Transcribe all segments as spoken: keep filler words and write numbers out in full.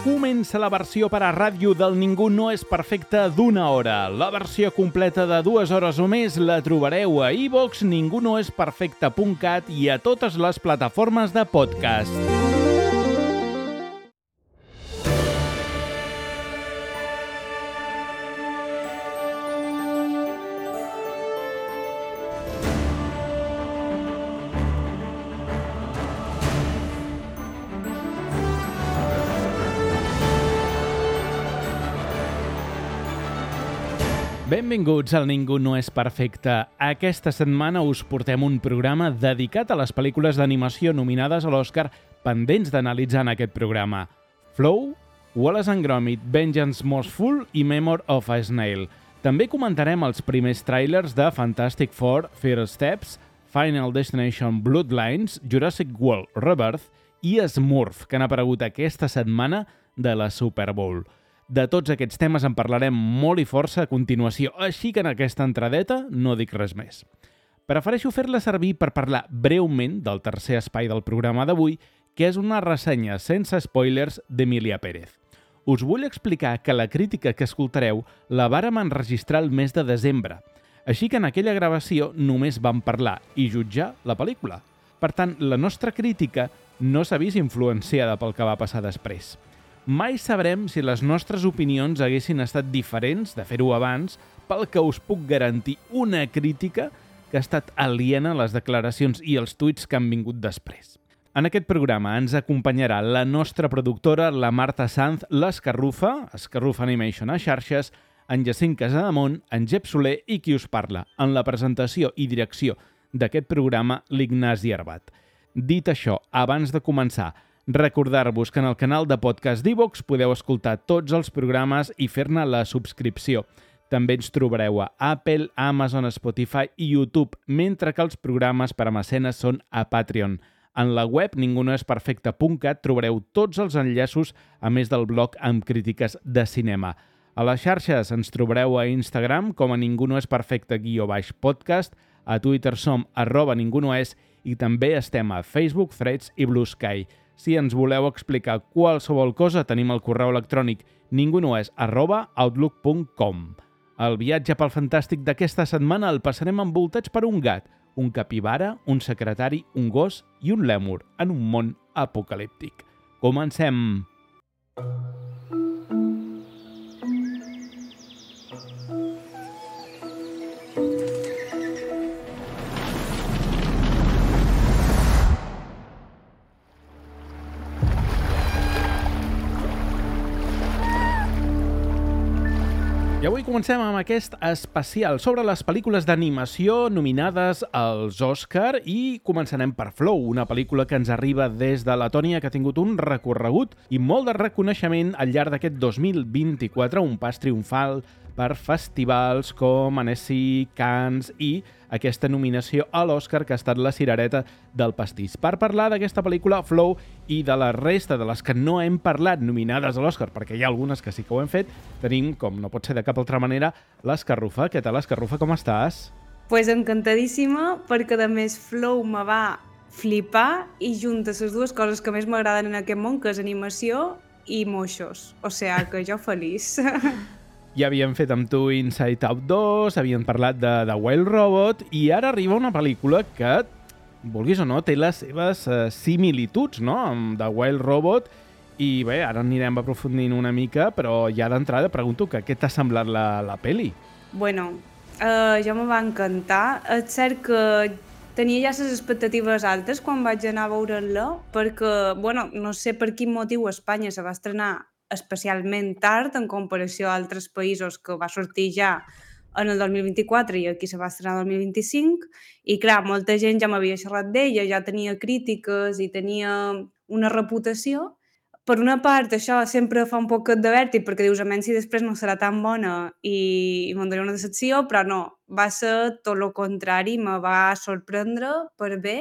Comença la versió per a ràdio del Ningú no és perfecte d'una hora. La versió completa de dues hores o més la trobareu a iVox, ningú no és perfecte punt cat i a totes les plataformes de podcast. Benvinguts al Ningú no és perfecte. Aquesta setmana us portem un programa dedicat a les pel·lícules d'animació nominades a l'Oscar pendents d'analitzar en aquest programa. Flow, Wallace and Gromit, Vengeance Mostful i Memoir of a Snail. També comentarem els primers tràilers de Fantastic Four, First Steps, Final Destination Bloodlines, Jurassic World Rebirth i Smurf, que han aparegut aquesta setmana de la Super Bowl. De tots aquests temes en parlarem molt i força a continuació, així que en aquesta entradeta no dic res més. Prefereixo fer-la servir per parlar breument del tercer espai del programa d'avui, que és una ressenya sense spoilers d'Emília Pérez. Us vull explicar que la crítica que escoltareu la vàrem enregistrar el mes de desembre, així que en aquella gravació només vam parlar i jutjar la pel·lícula. Per tant, la nostra crítica no s'ha vist influenciada pel que va passar després. Mai sabrem si les nostres opinions haguessin estat diferents de fer-ho abans, pel que us puc garantir una crítica que ha estat aliena a les declaracions i els tuits que han vingut després. En aquest programa ens acompanyarà la nostra productora, la Marta Sanz, l'Escarrufa, Escarrufa Animation a xarxes, en Jacint Casademont, en Jep Soler i qui us parla, en la presentació i direcció d'aquest programa, l'Ignasi Arbat. Dit això, abans de començar, recordar-vos que en el canal de podcast d'iVox podeu escoltar tots els programes i fer-ne la subscripció. També ens trobareu a Apple, Amazon, Spotify i YouTube, mentre que els programes per a mecenes són a Patreon. En la web ningú no és perfecte punt cat trobareu tots els enllaços, a més del blog amb crítiques de cinema. A les xarxes ens trobareu a Instagram com a ningú no és perfecte guió baix podcast, a Twitter som arroba ningú no és i també estem a Facebook, Threads i Blue Sky. Si ens voleu explicar qualsevol cosa, tenim el correu electrònic ningunoes arroba outlook punt com. El viatge pel fantàstic d'aquesta setmana el passarem envoltats per un gat, un capibara, un secretari, un gos i un lèmur en un món apocalíptic. Comencem! I avui comencem amb aquest especial sobre les pel·lícules d'animació nominades als Òscar i començarem per Flow, una pel·lícula que ens arriba des de Letònia que ha tingut un recorregut i molt de reconeixement al llarg d'aquest dos mil vint-i-quatre, un pas triomfal per festivals com Annecy, Cannes i aquesta nominació a l'Òscar que ha estat la cirereta del pastís. Per parlar d'aquesta pel·lícula, Flow, i de la resta de les que no hem parlat nominades a l'Òscar, perquè hi ha algunes que sí que ho hem fet, tenim, com no pot ser de cap altra manera, l'Escarrufa. Què tal, Escarrufa, com estàs? Pues encantadíssima, perquè a més Flow me va flipar i junta les dues coses que més m'agraden en aquest món, que és animació i moixos. O sigui que jo feliç. Ja havíem fet amb tu Inside Out dos, havíem parlat de, de Wild Robot i ara arriba una pel·lícula que, vulguis o no, té les seves uh, similituds, no?, amb The Wild Robot i bé, ara anirem aprofundint una mica, però ja d'entrada pregunto que què t'ha semblat la, la pel·li? Bueno, uh, ja me va encantar. És cert que tenia ja les expectatives altes quan vaig anar a veure-la, perquè, bueno, no sé per quin motiu a Espanya se va estrenar especialment tard en comparació a altres països, que va sortir ja en el dos mil vint-i-quatre i aquí se va estrenar el dos mil vint-i-cinc i clar, molta gent ja m'havia xerrat d'ella, ja tenia crítiques i tenia una reputació. Per una part això sempre fa un poquet de vèrtic perquè dius, a menys si després no serà tan bona i, i me'n donaré una decepció, però no, va ser tot el contrari, me va sorprendre per bé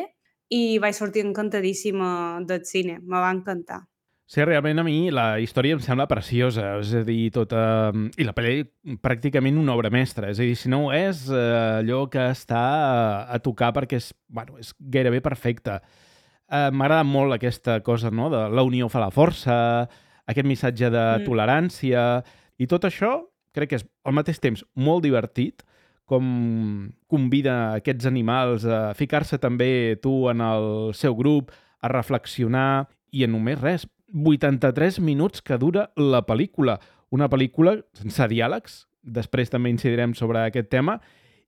i vaig sortir encantadíssima del cine, me va encantar. Sí, realment a mi la història em sembla preciosa, és a dir, tota... I la pel·li pràcticament una obra mestra, és a dir, si no ho és, eh, allò que està a tocar perquè és, bueno, és gairebé perfecta. Eh, M'agrada molt aquesta cosa, no?, de la unió fa la força, aquest missatge de Mm. tolerància, i tot això crec que és al mateix temps molt divertit, com convida aquests animals a ficar-se també tu en el seu grup, a reflexionar, i en només res, vuitanta-tres minuts que dura la pel·lícula. Una pel·lícula sense diàlegs, després també incidirem sobre aquest tema,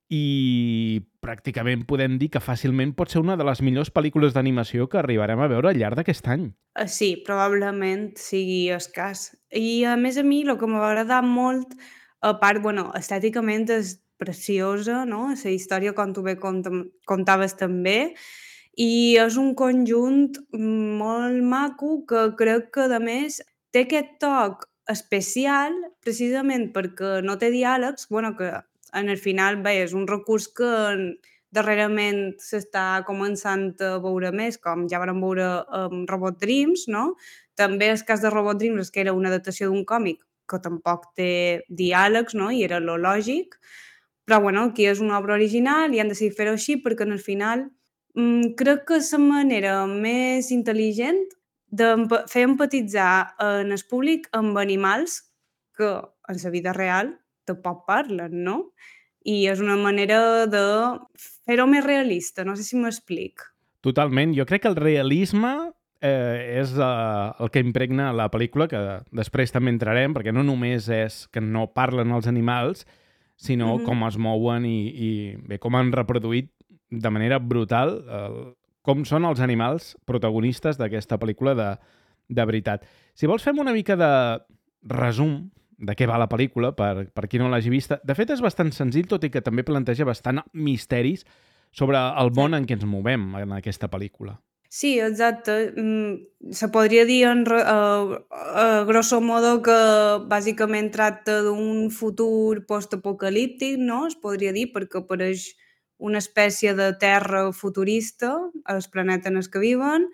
i pràcticament podem dir que fàcilment pot ser una de les millors pel·lícules d'animació que arribarem a veure al llarg d'aquest any. Eh, Sí, probablement sigui escàs. I a més a mi el que m'ha agradat molt, a part, bueno, estèticament és preciosa, no? La història, com tu bé contam- contaves també, i és un conjunt molt maco que crec que, a més, té aquest toc especial precisament perquè no té diàlegs, bueno, que en el final, bé, és un recurs que darrerament s'està començant a veure més, com ja vam veure amb Robot Dreams, no? També el cas de Robot Dreams és que era una adaptació d'un còmic que tampoc té diàlegs, no? I era lo lògic, però bueno, aquí és una obra original i han decidit fer-ho així perquè en el final mm, crec que és la manera més intel·ligent de fer empatitzar en el públic amb animals que en la vida real tampoc parlen, no? I és una manera de fer-ho més realista, no sé si m'explic. Totalment. Jo crec que el realisme eh, és eh, el que impregna la pel·lícula, que després també entrarem, perquè no només és que no parlen els animals, sinó Mhm. com es mouen i, i bé, com han reproduït de manera brutal el, com són els animals protagonistes d'aquesta pel·lícula de, de veritat. Si vols, fem una mica de resum de què va la pel·lícula, per, per qui no l'hagi vista. De fet, és bastant senzill, tot i que també planteja bastant misteris sobre el món en què ens movem en aquesta pel·lícula. Sí, exacte. Mm, se podria dir en, re- eh, a grosso modo que bàsicament tracta d'un futur postapocalíptic, no? Es podria dir, perquè apareix una espècie de terra futurista, al planeta en el que viven,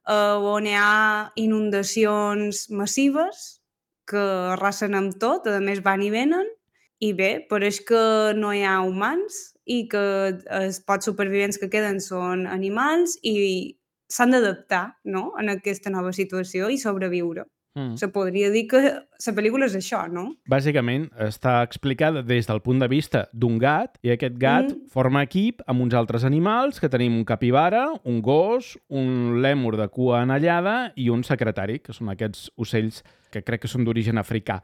eh, on hi ha inundacions massives que arrasen amb tot, a més van i venen, i bé, pareix que no hi ha humans i que els pocs supervivents que queden són animals i s'han d'adaptar, no?, en aquesta nova situació i sobreviure. Mm. Se podria dir que la pel·lícula és això, no? Bàsicament, està explicada des del punt de vista d'un gat, i aquest gat Mm. forma equip amb uns altres animals, que tenim un capibara, un gos, un lèmur de cua anellada i un secretari, que són aquests ocells que crec que són d'origen africà.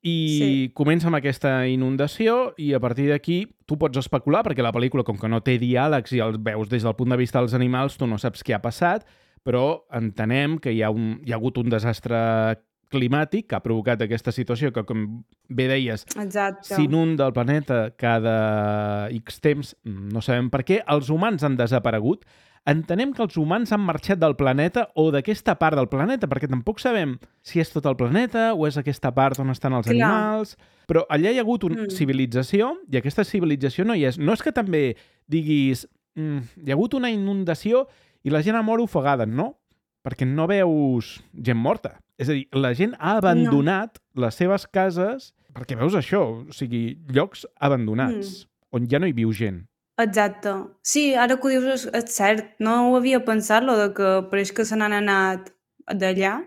I Sí. comença amb aquesta inundació i a partir d'aquí tu pots especular, perquè la pel·lícula, com que no té diàlegs i els veus des del punt de vista dels animals, tu no saps què ha passat, però entenem que hi ha, un, hi ha hagut un desastre climàtic que ha provocat aquesta situació que, com bé deies, Exacte. s'inunda el planeta cada X temps, no sabem per què, els humans han desaparegut. Entenem que els humans han marxat del planeta o d'aquesta part del planeta, perquè tampoc sabem si és tot el planeta o és aquesta part on estan els Clar. animals, però allà hi ha hagut una Mm. civilització i aquesta civilització no hi és. No és que també diguis mm, hi ha hagut una inundació i la gent ha mort ofegada, no, perquè no veus gent morta. És a dir, la gent ha abandonat no. les seves cases perquè veus això, o sigui, llocs abandonats, mm. on ja no hi viu gent. Exacte. Sí, ara que ho dius és, és cert. No ho havia pensat, lo de que pareix que se n'han anat d'allà,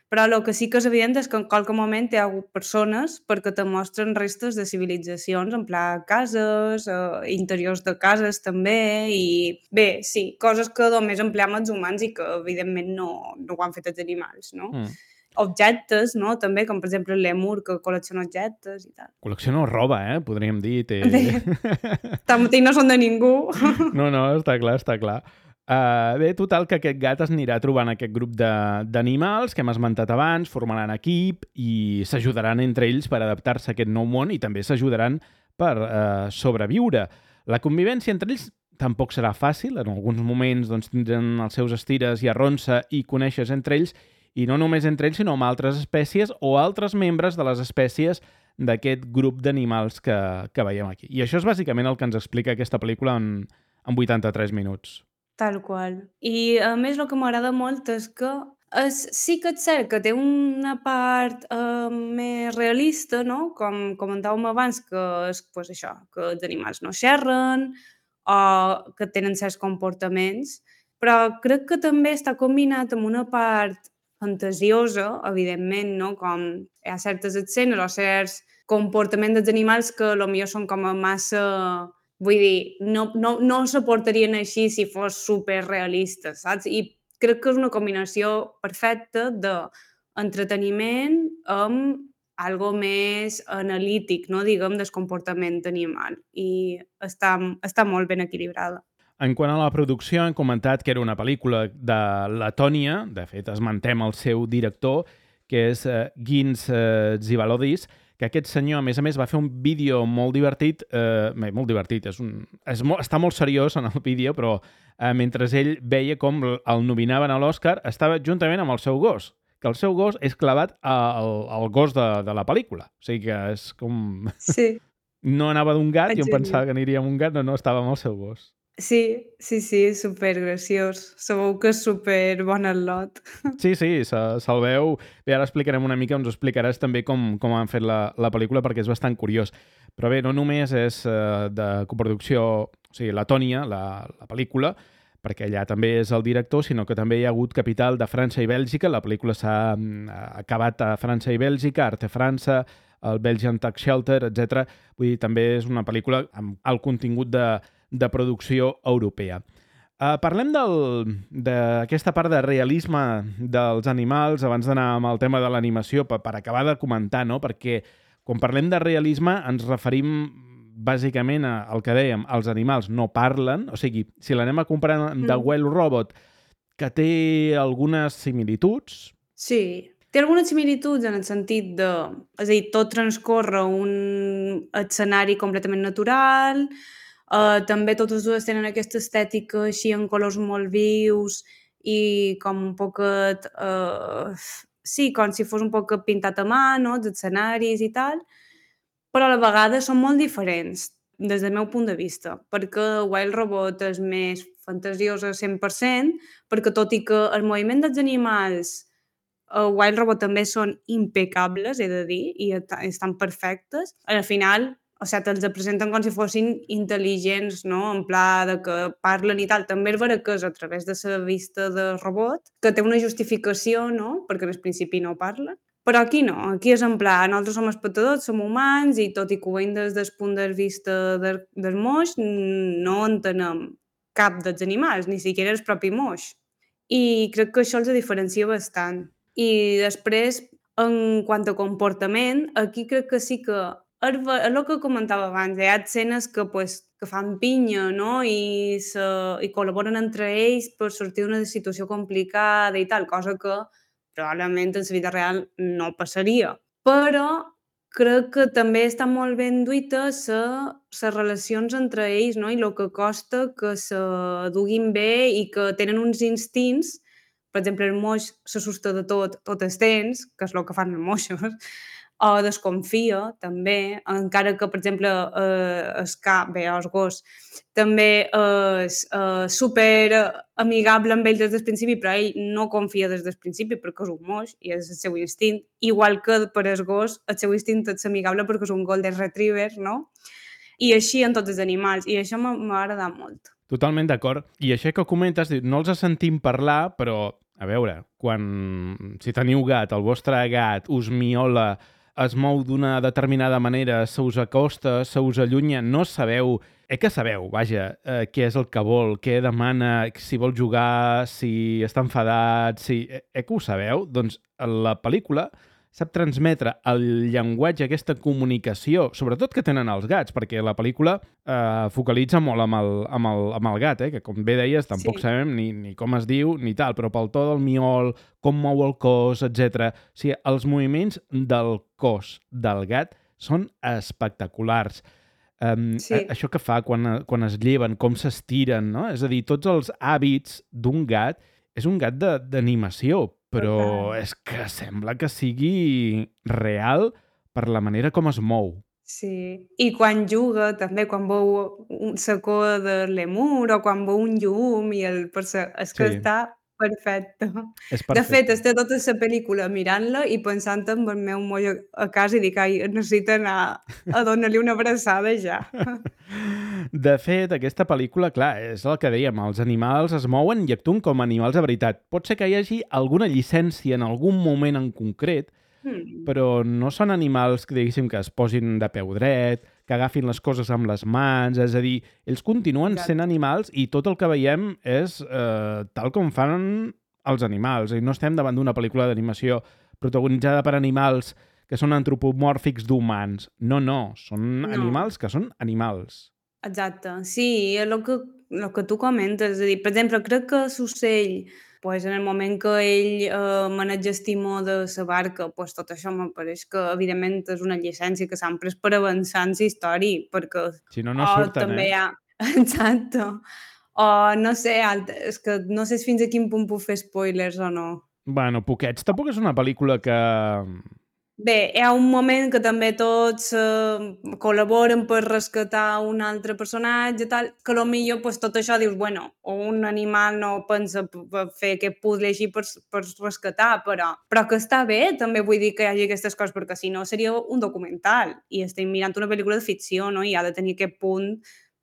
però el que sí que és evident és que en qualque moment hi ha hagut persones perquè te mostren restes de civilitzacions, en pla cases, eh, interiors de cases també, i bé, sí, coses que només empleam els humans i que evidentment no, no ho han fet els animals, no? Mm. Objectes, no? També, com per exemple el lèmur, que col·lecciona objectes i tal. Col·lecciona roba, eh? Podríem dir. Té... Bé, tanmateix no són de ningú. No, no, està clar, està clar. Uh, bé, total, que aquest gat es anirà trobant aquest grup de- d'animals que hem esmentat abans, formaran equip i s'ajudaran entre ells per adaptar-se a aquest nou món i també s'ajudaran per uh, sobreviure. La convivència entre ells tampoc serà fàcil, en alguns moments doncs, tindran els seus estires i arronsa i coneixes entre ells, i no només entre ells, sinó amb altres espècies o altres membres de les espècies d'aquest grup d'animals que, que veiem aquí. I això és bàsicament el que ens explica aquesta pel·lícula en, en vuitanta-tres minuts. Tal qual. I a més el que m'agrada molt és que és, sí que és cert que té una part eh, més realista, no? Com comentàvem abans, que és pues, això, que els animals no xerren o que tenen certs comportaments, però crec que també està combinat amb una part fantasiosa, evidentment, no? Com hi ha certes escenes o certs comportaments dels animals que potser són com a massa... Vull dir, no, no, no se portarien així si fos superrealistes, saps? I crec que és una combinació perfecta d'entreteniment amb algo més analític, no? Diguem, del comportament animal. I està, està molt ben equilibrada. En quant a la producció, hem comentat que era una pel·lícula de Letònia, de fet esmentem el seu director, que és uh, Gins uh, Zivalodis, que aquest senyor, a més a més, va fer un vídeo molt divertit, eh, molt divertit, és un, és molt, està molt seriós en el vídeo, però eh, mentre ell veia com el nominaven a l'Oscar, estava juntament amb el seu gos, que el seu gos és clavat al, al gos de, de la pel·lícula. O sigui que és com... Sí. No anava d'un gat, Exacte. Jo em pensava que aniria amb un gat, no, no, estava amb el seu gos. Sí, sí, sí, supergraciós. Segur que és super bon al·lot. Sí, sí, se'l se veu. Bé, ara explicarem una mica, ens ho explicaràs també com, com han fet la, la pel·lícula, perquè és bastant curiós. Però bé, no només és uh, de coproducció, o sigui, Letònia, la, la pel·lícula, perquè allà també és el director, sinó que també hi ha hagut capital de França i Bèlgica. La pel·lícula s'ha uh, acabat a França i Bèlgica, Arte França, el Belgian Tax Shelter, etcètera. Vull dir, també és una pel·lícula amb el contingut de de producció europea. Uh, parlem d'aquesta part de realisme dels animals, abans d'anar amb el tema de l'animació, per, per acabar de comentar, no? Perquè quan parlem de realisme ens referim bàsicament al que dèiem, els animals no parlen, o sigui, si l'anem a comparar amb mm. The Well Robot, que té algunes similituds... Sí, té algunes similituds en el sentit de... És a dir, tot transcorre un escenari completament natural... Uh, també totes dues tenen aquesta estètica així en colors molt vius i com un poquet... Uh, sí, com si fos un poc pintat a mà, no?, els escenaris i tal, però a la vegada són molt diferents des del meu punt de vista, perquè Wild Robot és més fantasiosa cent per cent, perquè tot i que el moviment dels animals a Wild Robot també són impecables, he de dir, i estan perfectes, al final... O sigui, te'ls presenten com si fossin intel·ligents, no? En pla de que parlen i tal. També és vera que és a través de la vista de robot, que té una justificació, no? Perquè al principi no parlen. Però aquí no, aquí és en pla, nosaltres som espectadors, som humans, i tot i que ho veiem des del punt de vista del, del moix, no entenem cap dels animals, ni siquiera el propi moix. I crec que això els diferencia bastant. I després, en quant a comportament, aquí crec que sí que és el que comentava abans, hi ha escenes que, pues, que fan pinya, no? I, se, i col·laboren entre ells per sortir d'una situació complicada i tal, cosa que probablement en la vida real no passaria. Però crec que també està molt ben duita les relacions entre ells, no? I el que costa que se duguin bé i que tenen uns instints. Per exemple, el moix s'assusta de tot, tot el temps, que és el que fan els moixos, o desconfia, també, encara que, per exemple, eh, el cap, bé, el gos, també és eh, super amigable amb ell des del principi, però ell no confia des del principi perquè és un moix i és el seu instint, igual que per el gos el seu instint és amigable perquè és un golden retriever, no? I així en tots els animals, i això m'ha agradat molt. Totalment d'acord. I això que comentes, no els sentim parlar, però, a veure, quan, si teniu gat, el vostre gat us miola, es mou d'una determinada manera, se us acosta, se us allunya, no sabeu, eh que sabeu, vaja, eh, què és el que vol, què demana, si vol jugar, si està enfadat, si... Eh que ho sabeu? Doncs la pel·lícula sap transmetre el llenguatge, aquesta comunicació, sobretot que tenen els gats, perquè la pel·lícula eh, focalitza molt amb el, amb el, amb el gat, eh, que com bé deies tampoc sí. sabem ni, ni com es diu ni tal, però pel to del miol, com mou el cos, etcètera. O sigui, els moviments del cos del gat són espectaculars. Um, sí. Això que fa quan, quan es lleven, com s'estiren, no? És a dir, tots els hàbits d'un gat, és un gat d'animació, però és que sembla que sigui real per la manera com es mou. Sí, i quan juga, també, quan veu la cua de l'emur o quan veu un llum, i el... és que sí. està Perfecte. És De fet, perfecte. estic tota la pel·lícula mirant-la i pensant en el meu moll a a casa i dic: "Ai, necessito anar a donar-li una abraçada ja". De fet, aquesta pel·lícula, clar, és el que dèiem, els animals es mouen i actuen com animals de veritat. Pot ser que hi hagi alguna llicència en algun moment en concret, Mm, però no són animals que, diguéssim, que es posin de peu dret, que agafin les coses amb les mans, és a dir, ells continuen sent exacte. animals i tot el que veiem és eh, tal com fan els animals. I no estem davant d'una pel·lícula d'animació protagonitzada per animals que són antropomòrfics d'humans. No, no, són No. animals que són animals. Exacte. Sí, és el que el que tu comentes. És a dir, per exemple, crec que l'ocell, pues, en el moment que ell eh, maneja el timó de la barca, pues, tot això m'apareix que, evidentment, és una llicència que s'han pres per avançar en la història, perquè Si no, no o surten, també eh? hi ha... Exacte. O no sé, alt... és que no sé fins a quin punt puc fer spoilers o no. Bueno, Poquets tampoc és una pel·lícula que... Bé, hi ha un moment que també tots eh, col·laboren per rescatar un altre personatge, tal, que a lo millor pues, tot això dius, bueno, un animal no pensa p- p- fer aquest puzzle així per, s- per rescatar, però, però que està bé, també vull dir que hi hagi aquestes coses, perquè si no seria un documental, i estem mirant una pel·lícula de ficció, no? I ha de tenir aquest punt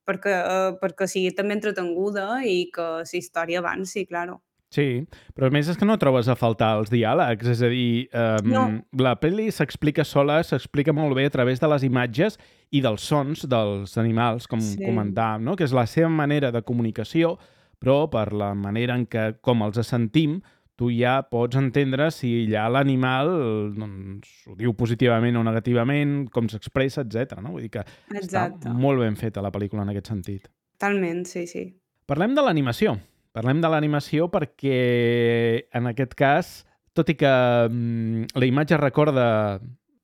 perquè, eh, perquè sigui també entretenguda i que la història avanci, claro. Sí, però a més és que no trobes a faltar els diàlegs, és a dir, um, No, la pel·li s'explica sola, s'explica molt bé a través de les imatges i dels sons dels animals, com sí, comentàvem, no? Que és la seva manera de comunicació, però per la manera en què, com els sentim, tu ja pots entendre si allà l'animal doncs, ho diu positivament o negativament, com s'expressa, etcètera. No? Vull dir que està exacte. molt ben feta la pel·lícula en aquest sentit. Totalment, sí, sí. Parlem de l'animació. Parlem de l'animació perquè, en aquest cas, tot i que mm, la imatge recorda,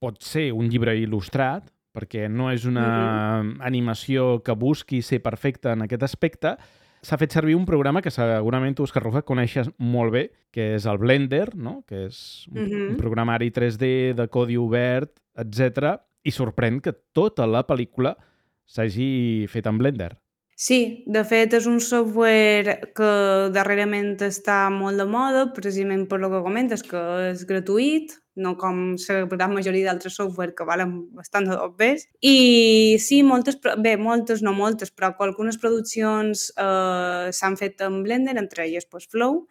pot ser un llibre il·lustrat, perquè no és una Mhm. animació que busqui ser perfecta en aquest aspecte, s'ha fet servir un programa que segurament tu, Òscar Rufa, coneixes molt bé, que és el Blender, no? Que és un, un Mhm. programari tres D de codi obert, etcètera. I sorprèn que tota la pel·lícula s'hagi fet en Blender. Sí, de fet és un software que darrerament està molt de moda, precisament per lo que comentes, que és gratuït, no com la gran majoria d'altres software que valen bastant de dobbers. I sí, moltes, pro- bé, moltes, no moltes, però algunes produccions eh, s'han fet en Blender, entre elles pues, Flow,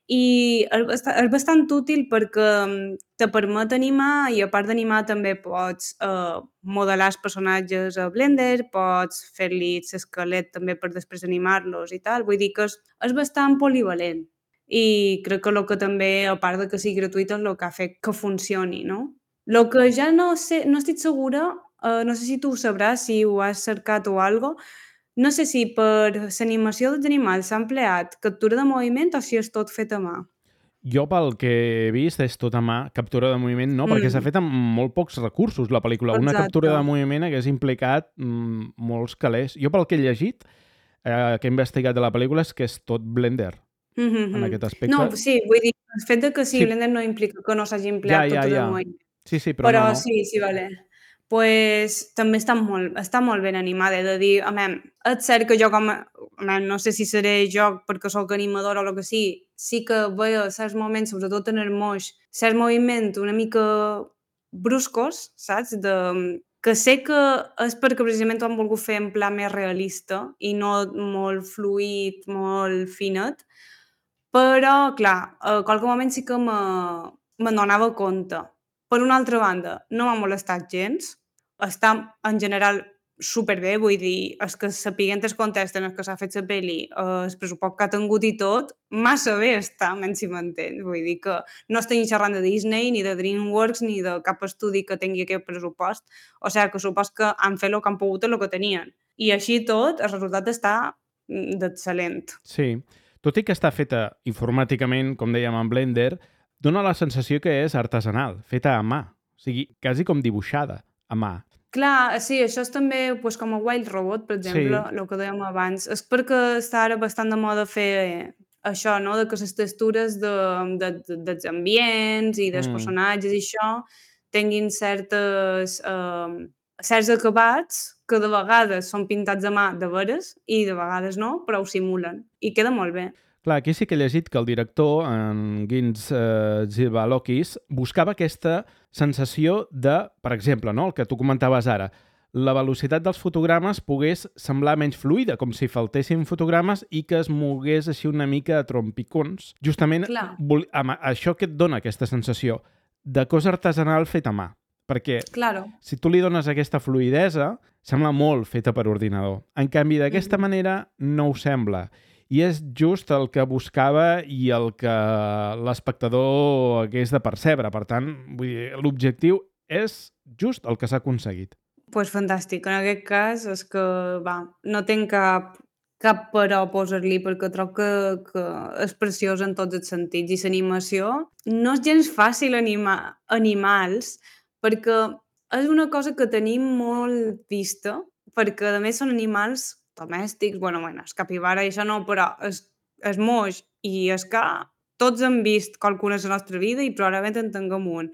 i és basta és bastant útil perquè mm, te permet animar i a part d'animar també pots eh, modelar els personatges a Blender, pots fer-li l'esquelet també per després animar-los i tal, vull dir que és, és bastant polivalent i crec que el que també, a part de que sigui gratuït, és el que ha fet que funcioni, no? El que ja no sé, no estic segura, eh, no sé si tu ho sabràs, si ho has cercat o algo, no sé si per l'animació dels animals s'ha empleat captura de moviment o si és tot fet a mà. Jo, pel que he vist, és tot a mà, captura de moviment no, perquè s'ha Mm, fet amb molt pocs recursos, la pel·lícula. Una exacte. captura de moviment hagués implicat mm, molts calés. Jo, pel que he llegit, eh, que he investigat de la pel·lícula, és que és tot Blender, Mhm, en mhm. aquest No, aspecte. sí, vull dir, el fet de que sigui Sí, Blender no implica que no s'hagi ja, empleat ja, captura de ja. moviment. Sí, sí, però no, Però no. sí, sí, vale. Pues també està molt està molt ben animada, he de dir. A mem, és cert que jo com a a mem, no sé si seré jo perquè sóc animadora o el que sigui, sí que veia certs moments, sobretot en el moix, certs moviments una mica bruscos, saps? De que sé que és perquè precisament ho han volgut fer en pla més realista i no molt fluid, molt finet, però, clar, a qualque moment sí que me me'n donava compte. Per una altra banda, no m'ha molestat gens, està en general superbé, vull dir, és que sapiguent el context en el que s'ha fet la pel·li, eh, el pressupost que ha tingut i tot, massa bé està, men si m'entens. Vull dir que no estem xerrant de Disney, ni de DreamWorks, ni de cap estudi que tingui aquest pressupost. O sigui que supos que han fet el que han pogut amb el que tenien. I així i tot, el resultat està mm, d'excel·lent. Sí. Tot i que està feta informàticament, com dèiem, en Blender, dona la sensació que és artesanal, feta a mà. O sigui, quasi com dibuixada a mà. Clar, sí, això és també pues, com a Wild Robot, per exemple, Sí. el que dèiem abans. És perquè està ara bastant de moda fer això, no?, de que les textures de, de, de, dels ambients i dels Mm. personatges i això tinguin certes, eh, certs acabats que de vegades són pintats a mà de veres i de vegades no, però ho simulen. I queda molt bé. Clar, aquí sí que he llegit que el director, en Gins eh, Zibalokis, buscava aquesta sensació de, per exemple, no, el que tu comentaves ara, la velocitat dels fotogrames pogués semblar menys fluida, com si faltessin fotogrames i que es mogués així una mica a trompicons. Justament Clar. vol- amb això que et dona aquesta sensació de cosa artesanal feta a mà. Perquè Claro. si tu li dones aquesta fluidesa, sembla molt feta per ordinador. En canvi, d'aquesta Mhm. manera no ho sembla. I és just el que buscava i el que l'espectador hagués de percebre. Per tant, vull dir, l'objectiu és just el que s'ha aconseguit. Pues fantàstic. En aquest cas és que, va, no tinc cap, cap però a posar-li perquè trob que, que és preciós en tots els sentits. I l'animació no és gens fàcil animar animals perquè és una cosa que tenim molt vista perquè a més són animals domèstics, bueno, bueno, el capibara i això no, però és, és moix i és que tots hem vist qualcuna a la nostra vida i probablement en tinguem un.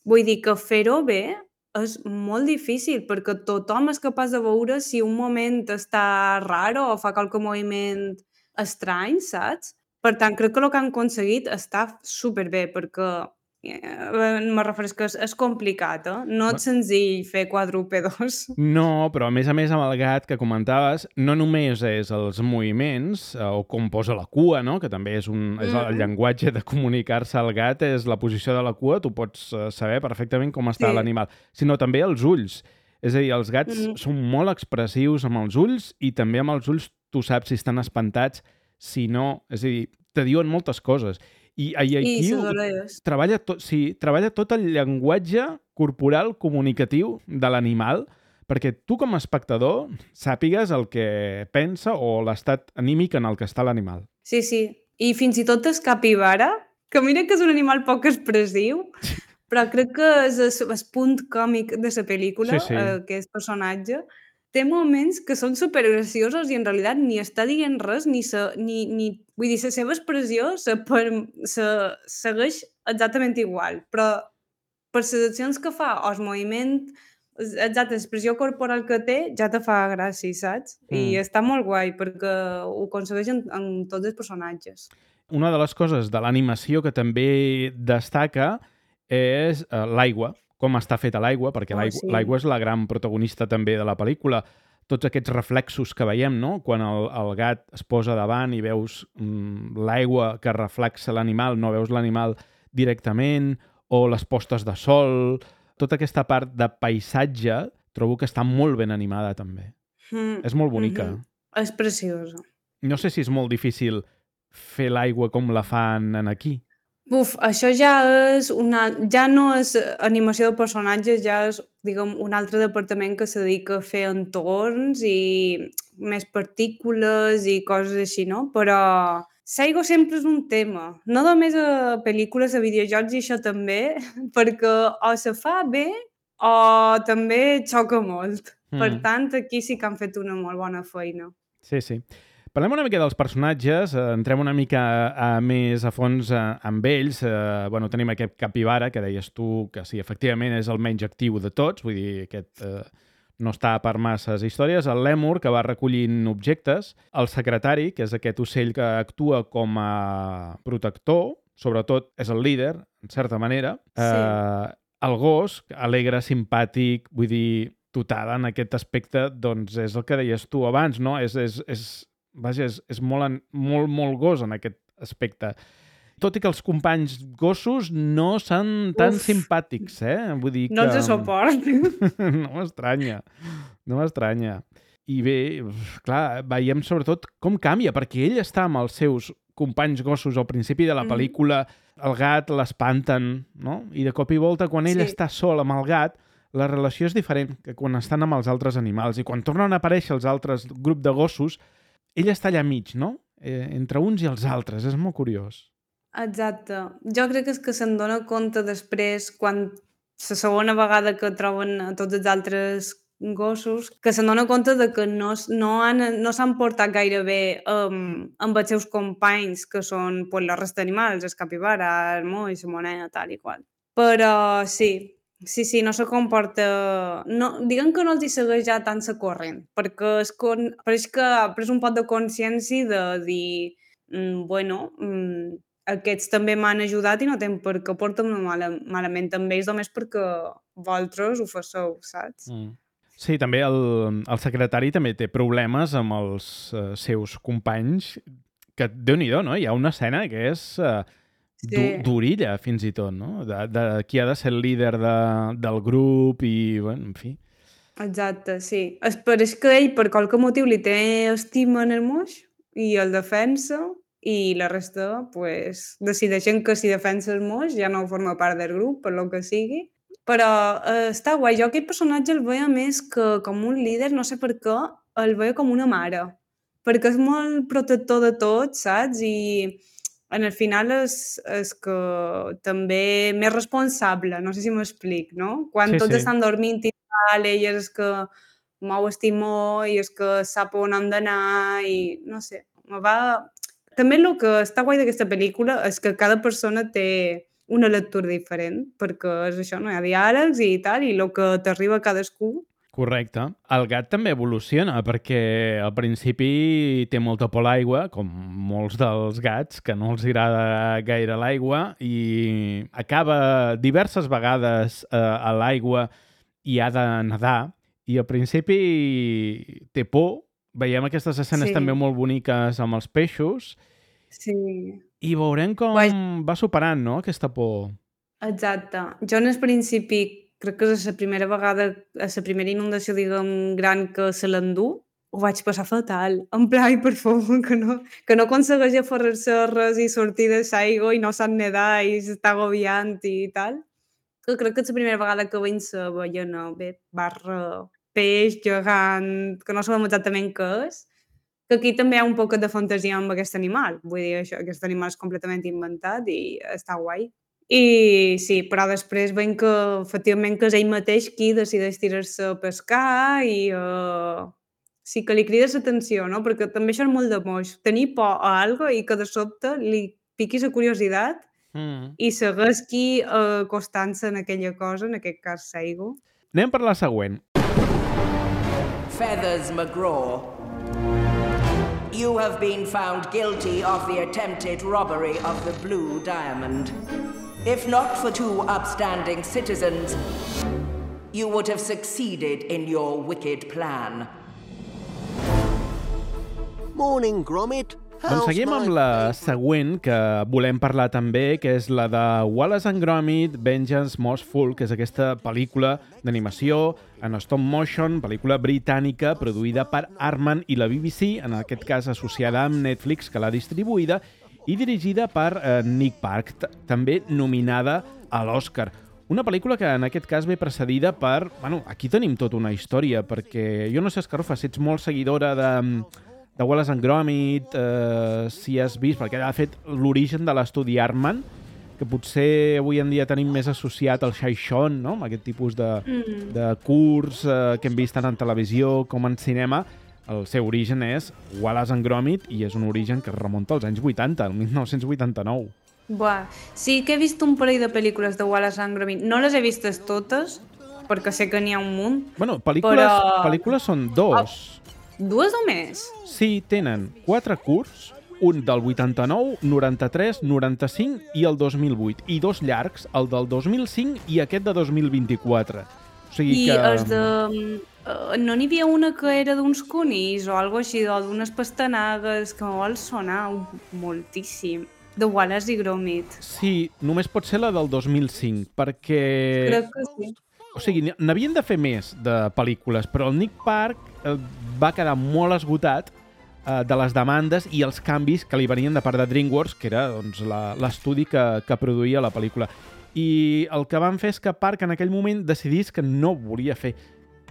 Vull dir que fer-ho bé és molt difícil perquè tothom és capaç de veure si un moment està raro o fa qualque moviment estrany, saps? Per tant, crec que el que han aconseguit està superbé perquè eh, me refereix que és, és complicat, eh? No és senzill fer quadrúpedos. No, però a més a més amb el gat que comentaves, no només és els moviments eh, o com posa la cua, no? Que també és, un, és el Mm. llenguatge de comunicar-se al gat, és la posició de la cua, tu pots eh, saber perfectament com està Sí. l'animal, sinó també els ulls. És a dir, els gats Mm. són molt expressius amb els ulls i també amb els ulls tu saps si estan espantats, si no... És a dir, te diuen moltes coses. I, i I aquí les ho- orelles. treballa, tot, sí, treballa tot el llenguatge corporal comunicatiu de l'animal perquè tu com a espectador sàpigues el que pensa o l'estat anímic en el que està l'animal. Sí, sí. I fins i tot el capibara, que mira que és un animal poc expressiu, però crec que és el, el punt còmic de la pel·lícula, Sí, sí. eh, aquest personatge, té moments que són supergraciosos i en realitat ni està dient res, ni, se, ni, ni vull dir, la seva expressió se, per, se segueix exactament igual, però per les accions que fa o el moviment, exacte, l'expressió corporal que té, ja te fa gràcia, saps? I Mm. està molt guai perquè ho aconsegueix en, en tots els personatges. Una de les coses de l'animació que també destaca és eh, l'aigua, com està feta l'aigua, perquè Oh, l'aigua sí. l'aigua és la gran protagonista també de la pel·lícula. Tots aquests reflexos que veiem, no? Quan el, el gat es posa davant i veus mm, l'aigua que reflexa l'animal, no veus l'animal directament, o les postes de sol, tota aquesta part de paisatge trobo que està molt ben animada també. Mm. És molt bonica. Mhm. És preciosa. No sé si és molt difícil fer l'aigua com la fan en aquí. Uf, això ja és una... Ja no és animació de personatges, ja és, diguem, un altre departament que se dedica a fer entorns i més partícules i coses així, no? Però l'aigua sempre és un tema. No només a pel·lícules, a videojocs i això també, perquè o se fa bé o també xoca molt. Mm. Per tant, aquí sí que han fet una molt bona feina. Sí, sí. Parlem una mica dels personatges, eh, entrem una mica a, a més a fons eh, amb ells. Eh, bueno, tenim aquest capibara, que deies tu que sí, efectivament és el menys actiu de tots, vull dir, aquest eh, no està per masses històries, el lèmur, que va recollint objectes, el secretari, que és aquest ocell que actua com a protector, sobretot és el líder, en certa manera, Sí. eh, el gos, alegre, simpàtic, vull dir, total, en aquest aspecte, doncs és el que deies tu abans, no? És, és, és, vaja, és, és molt, en- molt, molt gos en aquest aspecte. Tot i que els companys gossos no són tan Uf. simpàtics, eh? Vull dir No que... els suport. no m'estranya, no m'estranya. I bé, uf, clar, veiem sobretot com canvia, perquè ell està amb els seus companys gossos al principi de la Mhm. pel·lícula, el gat l'espanten, no? I de cop i volta, quan ell Sí. està sol amb el gat, la relació és diferent que quan estan amb els altres animals. I quan tornen a aparèixer els altres grup de gossos, ell està allà mig, no? Eh, entre uns i els altres. És molt curiós. Exacte. Jo crec que és que se'n dona compte després, quan la segona vegada que troben a tots els altres gossos, que se'n dona compte de que no, s- no, han, no s'han portat gaire bé um, amb els seus companys, que són pues, la resta d'animals, el capibara, el moix, la moneda, tal i qual. Però sí, sí, sí, no se comporta... No, diguem que no els hi segueix ja tant la corrent, perquè es con... pareix que ha pres un pot de consciència de dir mm, bueno, mm, aquests també m'han ajudat i no tenen per què portar-me mala, malament amb ells, només perquè vosaltres ho faceu, saps? Mm. Sí, també el, el secretari també té problemes amb els uh, seus companys, que Déu-n'hi-do, no? Hi ha una escena que és uh, du, Sí, durilla, fins i tot, no? De, de qui ha de ser el líder de, del grup i, bueno, en fi. exacte, sí. Es, però és que ell, per qualque motiu, li té estima en el moix i el defensa, i la resta, pues, decideixen que si defensa el moix ja no forma part del grup, per lo que sigui. Però eh, està guai. Jo aquest personatge el veia més que com un líder, no sé per què, el veia com una mare. Perquè és molt protector de tot, saps? I en el final és, és que també més responsable, no sé si m'explic, no? Quan Sí, tots sí. estan dormint i tal, ell és que mou el timó i és que sap on han d'anar i no sé, me va... També el que està guai d'aquesta pel·lícula és que cada persona té una lectura diferent, perquè és això, no hi ha diàlegs i tal, i el que t'arriba a cadascú. Correcte. El gat també evoluciona, perquè al principi té molta por a l'aigua, com molts dels gats, que no els agrada gaire l'aigua, i acaba diverses vegades eh, a l'aigua i ha de nedar, i al principi té por. Veiem aquestes escenes Sí, també molt boniques amb els peixos, sí. i veurem Guai, com va superant, no?, aquesta por. exacte. Jo en el principi, crec que és la primera vegada, a la primera inundació, diguem, gran que se l'endú, ho vaig passar fatal. En pla, ai, per favor, que no, que no aconsegueix aferrar-se a res i sortir de l'aigua i no sap nedar i s'està agobiant i tal. Que crec que és la primera vegada que veig la ballena, bé, barra peix gegant, que no sabem exactament què és, que aquí també hi ha un poc de fantasia amb aquest animal. Vull dir, això, aquest animal és completament inventat i està guai. I sí, però després veiem que efectivament que és ell mateix qui decideix tirar-se a pescar i uh, sí que li crida l'atenció, no? Perquè també això és molt de moix, tenir por a algo i que de sobte li piqui la curiositat Mm. i segueixi uh, acostant-se en aquella cosa, en aquest cas l'aigua. Anem per la següent. Feathers McGraw, you have been found guilty of the attempted robbery of the Blue Diamond. If not for two upstanding citizens, you would have succeeded in your wicked plan. Morning, Gromit. Doncs seguim amb la següent que volem parlar també, que és la de Wallace and Gromit, Vengeance Most Full, que és aquesta pel·lícula d'animació en stop motion, pel·lícula britànica produïda per Aardman i la B B C, en aquest cas associada amb Netflix, que l'ha distribuïda, i dirigida per eh, Nick Park, també nominada a l'Oscar. Una pel·lícula que en aquest cas ve precedida per... Bueno, aquí tenim tota una història, perquè jo no sé, Escarofa, si ets molt seguidora de... de Wallace and Gromit, eh, si has vist, perquè ha fet l'origen de l'estudi Aardman, que potser avui en dia tenim més associat al Shy-Shon, no?, amb aquest tipus de, mm. de curs eh, que hem vist tant en televisió com en cinema. El seu origen és Wallace and Gromit i és un origen que es remunta als anys vuitanta, el mil nou-cents vuitanta-nou. Buah, sí que he vist un parell de pel·lícules de Wallace and Gromit. No les he vistes totes, perquè sé que n'hi ha un munt. Bueno, pel·lícules, però... pel·lícules són dos. Dues o més? Sí, tenen quatre curts, un del vuitanta-nou, noranta-tres, noranta-cinc i el dos mil vuit, i dos llargs, el del dos mil cinc i aquest de dos mil vint-i-quatre. O sigui I que... els de... Uh, no n'hi havia una que era d'uns conills o alguna així, o d'unes pastanagues, que m'ho vol sonar moltíssim. De Wallace i Gromit. Sí, només pot ser la del dos mil cinc, perquè... Crec que sí. O sigui, n'havien de fer més de pel·lícules, però el Nick Park eh, va quedar molt esgotat eh, de les demandes i els canvis que li venien de part de DreamWorks, que era doncs, l'estudi que, que produïa la pel·lícula. I el que van fer és que Park en aquell moment decidís que no volia fer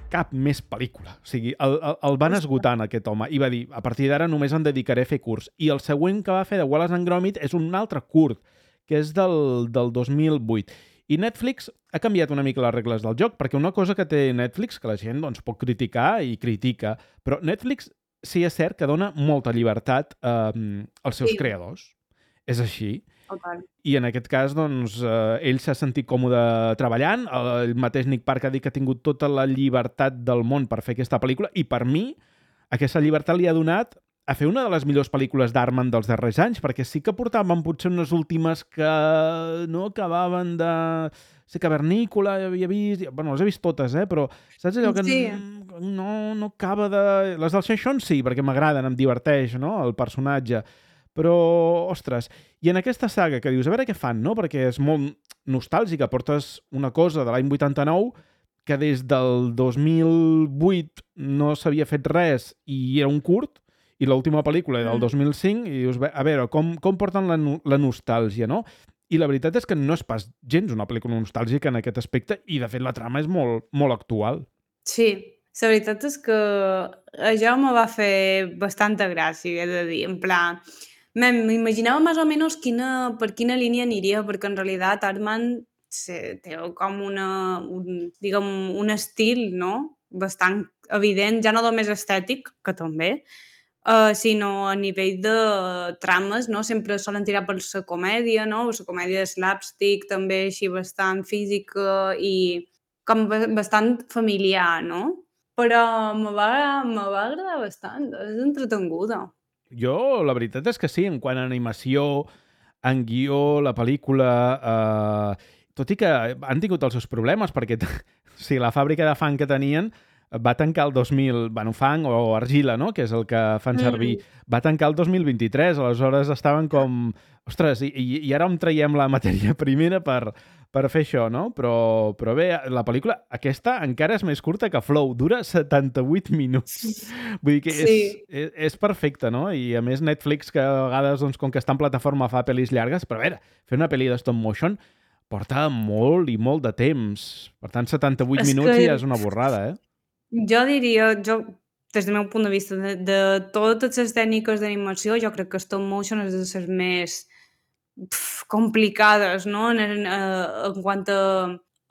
cap més pel·lícula. O sigui, el, el, el van esgotar en aquest home i va dir, a partir d'ara només em dedicaré a fer curts. I el següent que va fer de Wallace and Gromit és un altre curt, que és del, del dos mil vuit. I Netflix ha canviat una mica les regles del joc, perquè una cosa que té Netflix, que la gent doncs, pot criticar i critica, però Netflix sí és cert que dona molta llibertat eh, als seus Sí. creadors. És així. Total. I en aquest cas, doncs, eh, ell s'ha sentit còmode treballant, el mateix Nick Park ha dit que ha tingut tota la llibertat del món per fer aquesta pel·lícula, i per mi aquesta llibertat li ha donat a fer una de les millors pel·lícules d'Arman dels darrers anys, perquè sí que portaven potser unes últimes que no acabaven de ser cavernícola, havia vist... Bueno, les he vist totes, eh? Però saps allò que Sí. no, no acaba de... Les del Seixón sí, perquè m'agraden, em diverteix, no?, el personatge. Però, ostres, i en aquesta saga que dius, a veure què fan, no?, perquè és molt nostàlgica, portes una cosa de l'any vuitanta-nou que des del dos mil vuit no s'havia fet res i era un curt, i l'última pel·lícula era del dos mil cinc, i dius, a veure, com, com porten la, la nostàlgia, no? I la veritat és que no és pas gens una pel·lícula nostàlgica en aquest aspecte, i de fet la trama és molt, molt actual. Sí, la veritat és que això me va fer bastanta gràcia, he de dir, en plan... M'imaginava més o menys quina, per quina línia aniria, perquè en realitat Arman té com una, un, diguem, un estil, no?, bastant evident, ja no només estètic, que també, uh, sinó a nivell de trames, no?, sempre solen tirar per la comèdia, no?, la comèdia de slapstick, també així bastant física i com bastant familiar, no? Però me va, me va agradar bastant, és entretenguda. Jo, la veritat és que sí, en quant a animació, en guió, la pel·lícula... Eh, tot i que han tingut els seus problemes, perquè sí, la fàbrica de fang que tenien va tancar el dos mil... Bueno, fang o argila, no?, que és el que fan servir. Mm. Va tancar el dos mil vint-i-tres, aleshores estaven com... Ostres, i, i ara on traiem la matèria primera per, per fer això, no? Però, però bé, la pel·lícula aquesta encara és més curta que Flow, dura setanta-vuit minuts. Vull dir que és, sí. és, és perfecte, no? I a més Netflix, que a vegades, doncs, com que està en plataforma, fa pel·lis llargues, però a veure, fer una pel·li de stop motion porta molt i molt de temps. Per tant, setanta-vuit és minuts que... ja és una borrada, eh? Jo diria, jo, des del meu punt de vista, de, de totes les tècniques d'animació, jo crec que stop motion és de les més pf, complicades, no?, en, en, en quant a,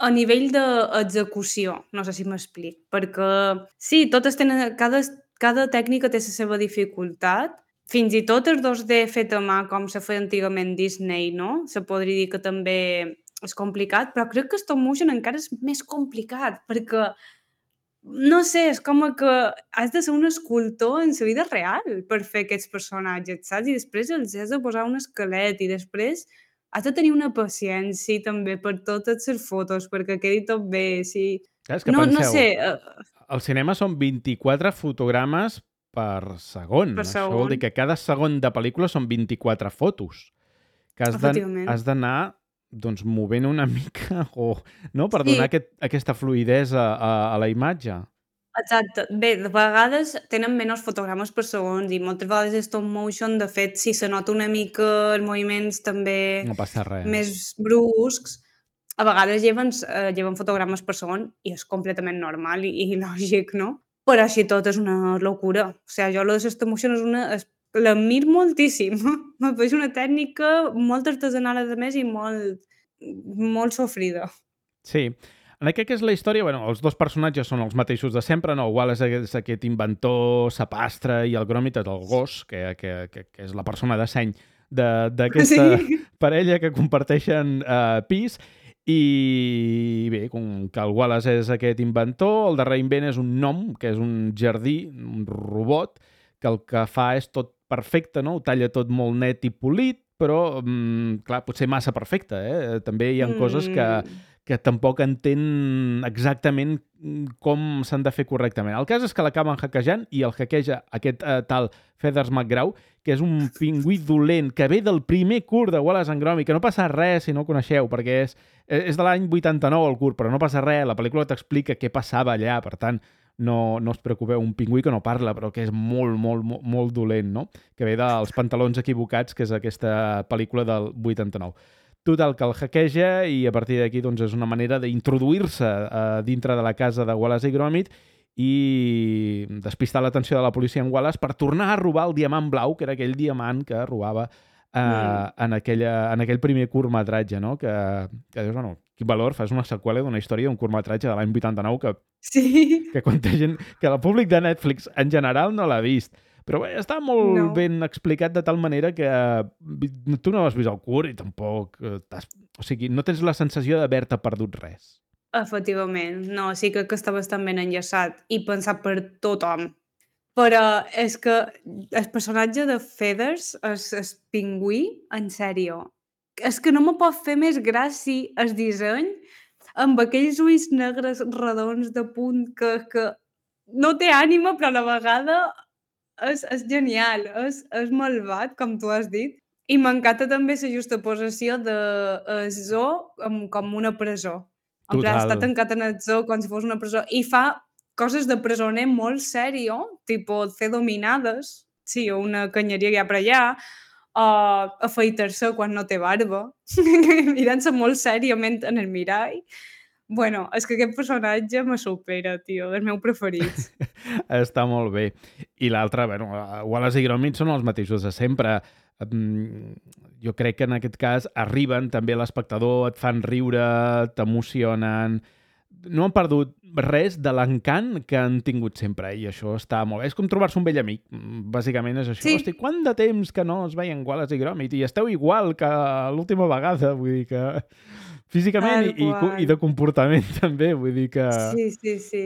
a nivell d'execució, no sé si m'explic, perquè sí, totes tenen, cada, cada tècnica té la seva dificultat, fins i tot el dos D fet a mà, com se feia antigament Disney, no?, se podria dir que també és complicat, però crec que stop motion encara és més complicat, perquè no sé, és com que has de ser un escultor en la vida real per fer aquests personatges, saps? I després els has de posar un esquelet i després has de tenir una paciència també per totes les fotos, perquè quedi tot bé, sí. Clar, és que no, penseu, no sé... Uh... al cinema són vint-i-quatre fotogrames per segon. Per Això segon. vol dir que cada segon de pel·lícula són vint-i-quatre fotos. Que has d'anar doncs, movent una mica o, no? Per sí. donar aquest, aquesta fluïdesa a, a la imatge. Exacte. Bé, de vegades tenen menys fotogrames per segons i moltes vegades és stop motion, de fet, si se nota una mica els moviments també no passa res. Més bruscs, a vegades lleven, eh, lleven fotogrames per segon i és completament normal i, i lògic, no? Però així tot és una locura. O sigui, jo la de stop motion és una... És, l'admir moltíssim. Me pareix una tècnica molt artesanal, a més, i molt, molt sofrida. Sí. En aquest que és la història, bueno, els dos personatges són els mateixos de sempre, no? Wallace és aquest inventor sapastre i el Gromit és el gos, que, que, que, que és la persona de seny d'aquesta sí. parella que comparteixen eh, pis. I bé, com que el Wallace és aquest inventor, el darrer invent és un gnome, que és un jardí, un robot, que el que fa és tot perfecte, no? Ho talla tot molt net i polit, però, mm, clar, potser massa perfecte, eh? També hi ha mm. coses que, que tampoc entén exactament com s'han de fer correctament. El cas és que l'acaben hackejant i el hackeja aquest eh, tal Feathers McGraw, que és un pingüí dolent que ve del primer curt de Wallace and Gromit, que no passa res si no el coneixeu, perquè és, és de l'any vuitanta-nou el curt, però no passa res, la pel·lícula t'explica què passava allà, per tant, no, no us preocupeu, un pingüí que no parla, però que és molt, molt, molt, molt dolent, no? Que ve dels pantalons equivocats, que és aquesta pel·lícula del vuitanta-nou. Total, que el hackeja i a partir d'aquí doncs, és una manera d'introduir-se uh, dintre de la casa de Wallace i Gromit i despistar l'atenció de la policia en Wallace per tornar a robar el diamant blau, que era aquell diamant que robava uh, mm. en, aquella, en aquell primer curtmetratge, no? Que, que dius, bueno, quin valor, fas una seqüela d'una història d'un curtmetratge de l'any vuitanta-nou que, sí. que quanta gent, que el públic de Netflix en general no l'ha vist. Però bé, està molt no. ben explicat de tal manera que tu no has vist el curt i tampoc... O sigui, no tens la sensació d'haver-te perdut res. Efectivament. No, sí que, que està bastant ben enllaçat i pensat per tothom. Però és que el personatge de Feathers, el, el pingüí, en sèrio, és que no me pot fer més gràcia el disseny amb aquells ulls negres redons de punt que, que no té ànima, però a la vegada és, és genial, és, és malvat, com tu has dit. I m'encanta també la justaposició de el zoo com, com una presó. En plan, està Total. tancat en el zoo com si fos una presó. I fa coses de presoner molt sèrio, tipo fer dominades, sí, una canyeria que hi ha per allà, o afaitar-se quan no té barba, mirant-se molt sèriament en el mirall. Bueno, és que aquest personatge me supera, tio, dels meus preferits. Està molt bé. I l'altre, bueno, Wallace i Gromit són els mateixos de sempre. Jo crec que en aquest cas arriben també a l'espectador, et fan riure, t'emocionen. No han perdut res de l'encant que han tingut sempre, i això està molt bé. És com trobar-se un vell amic, bàsicament és això. Sí. Hosti, quant de temps que no es veien Wallace i Gromit i esteu igual que l'última vegada, vull dir que... Físicament i, i, i de comportament també, vull dir que... Sí, sí, sí.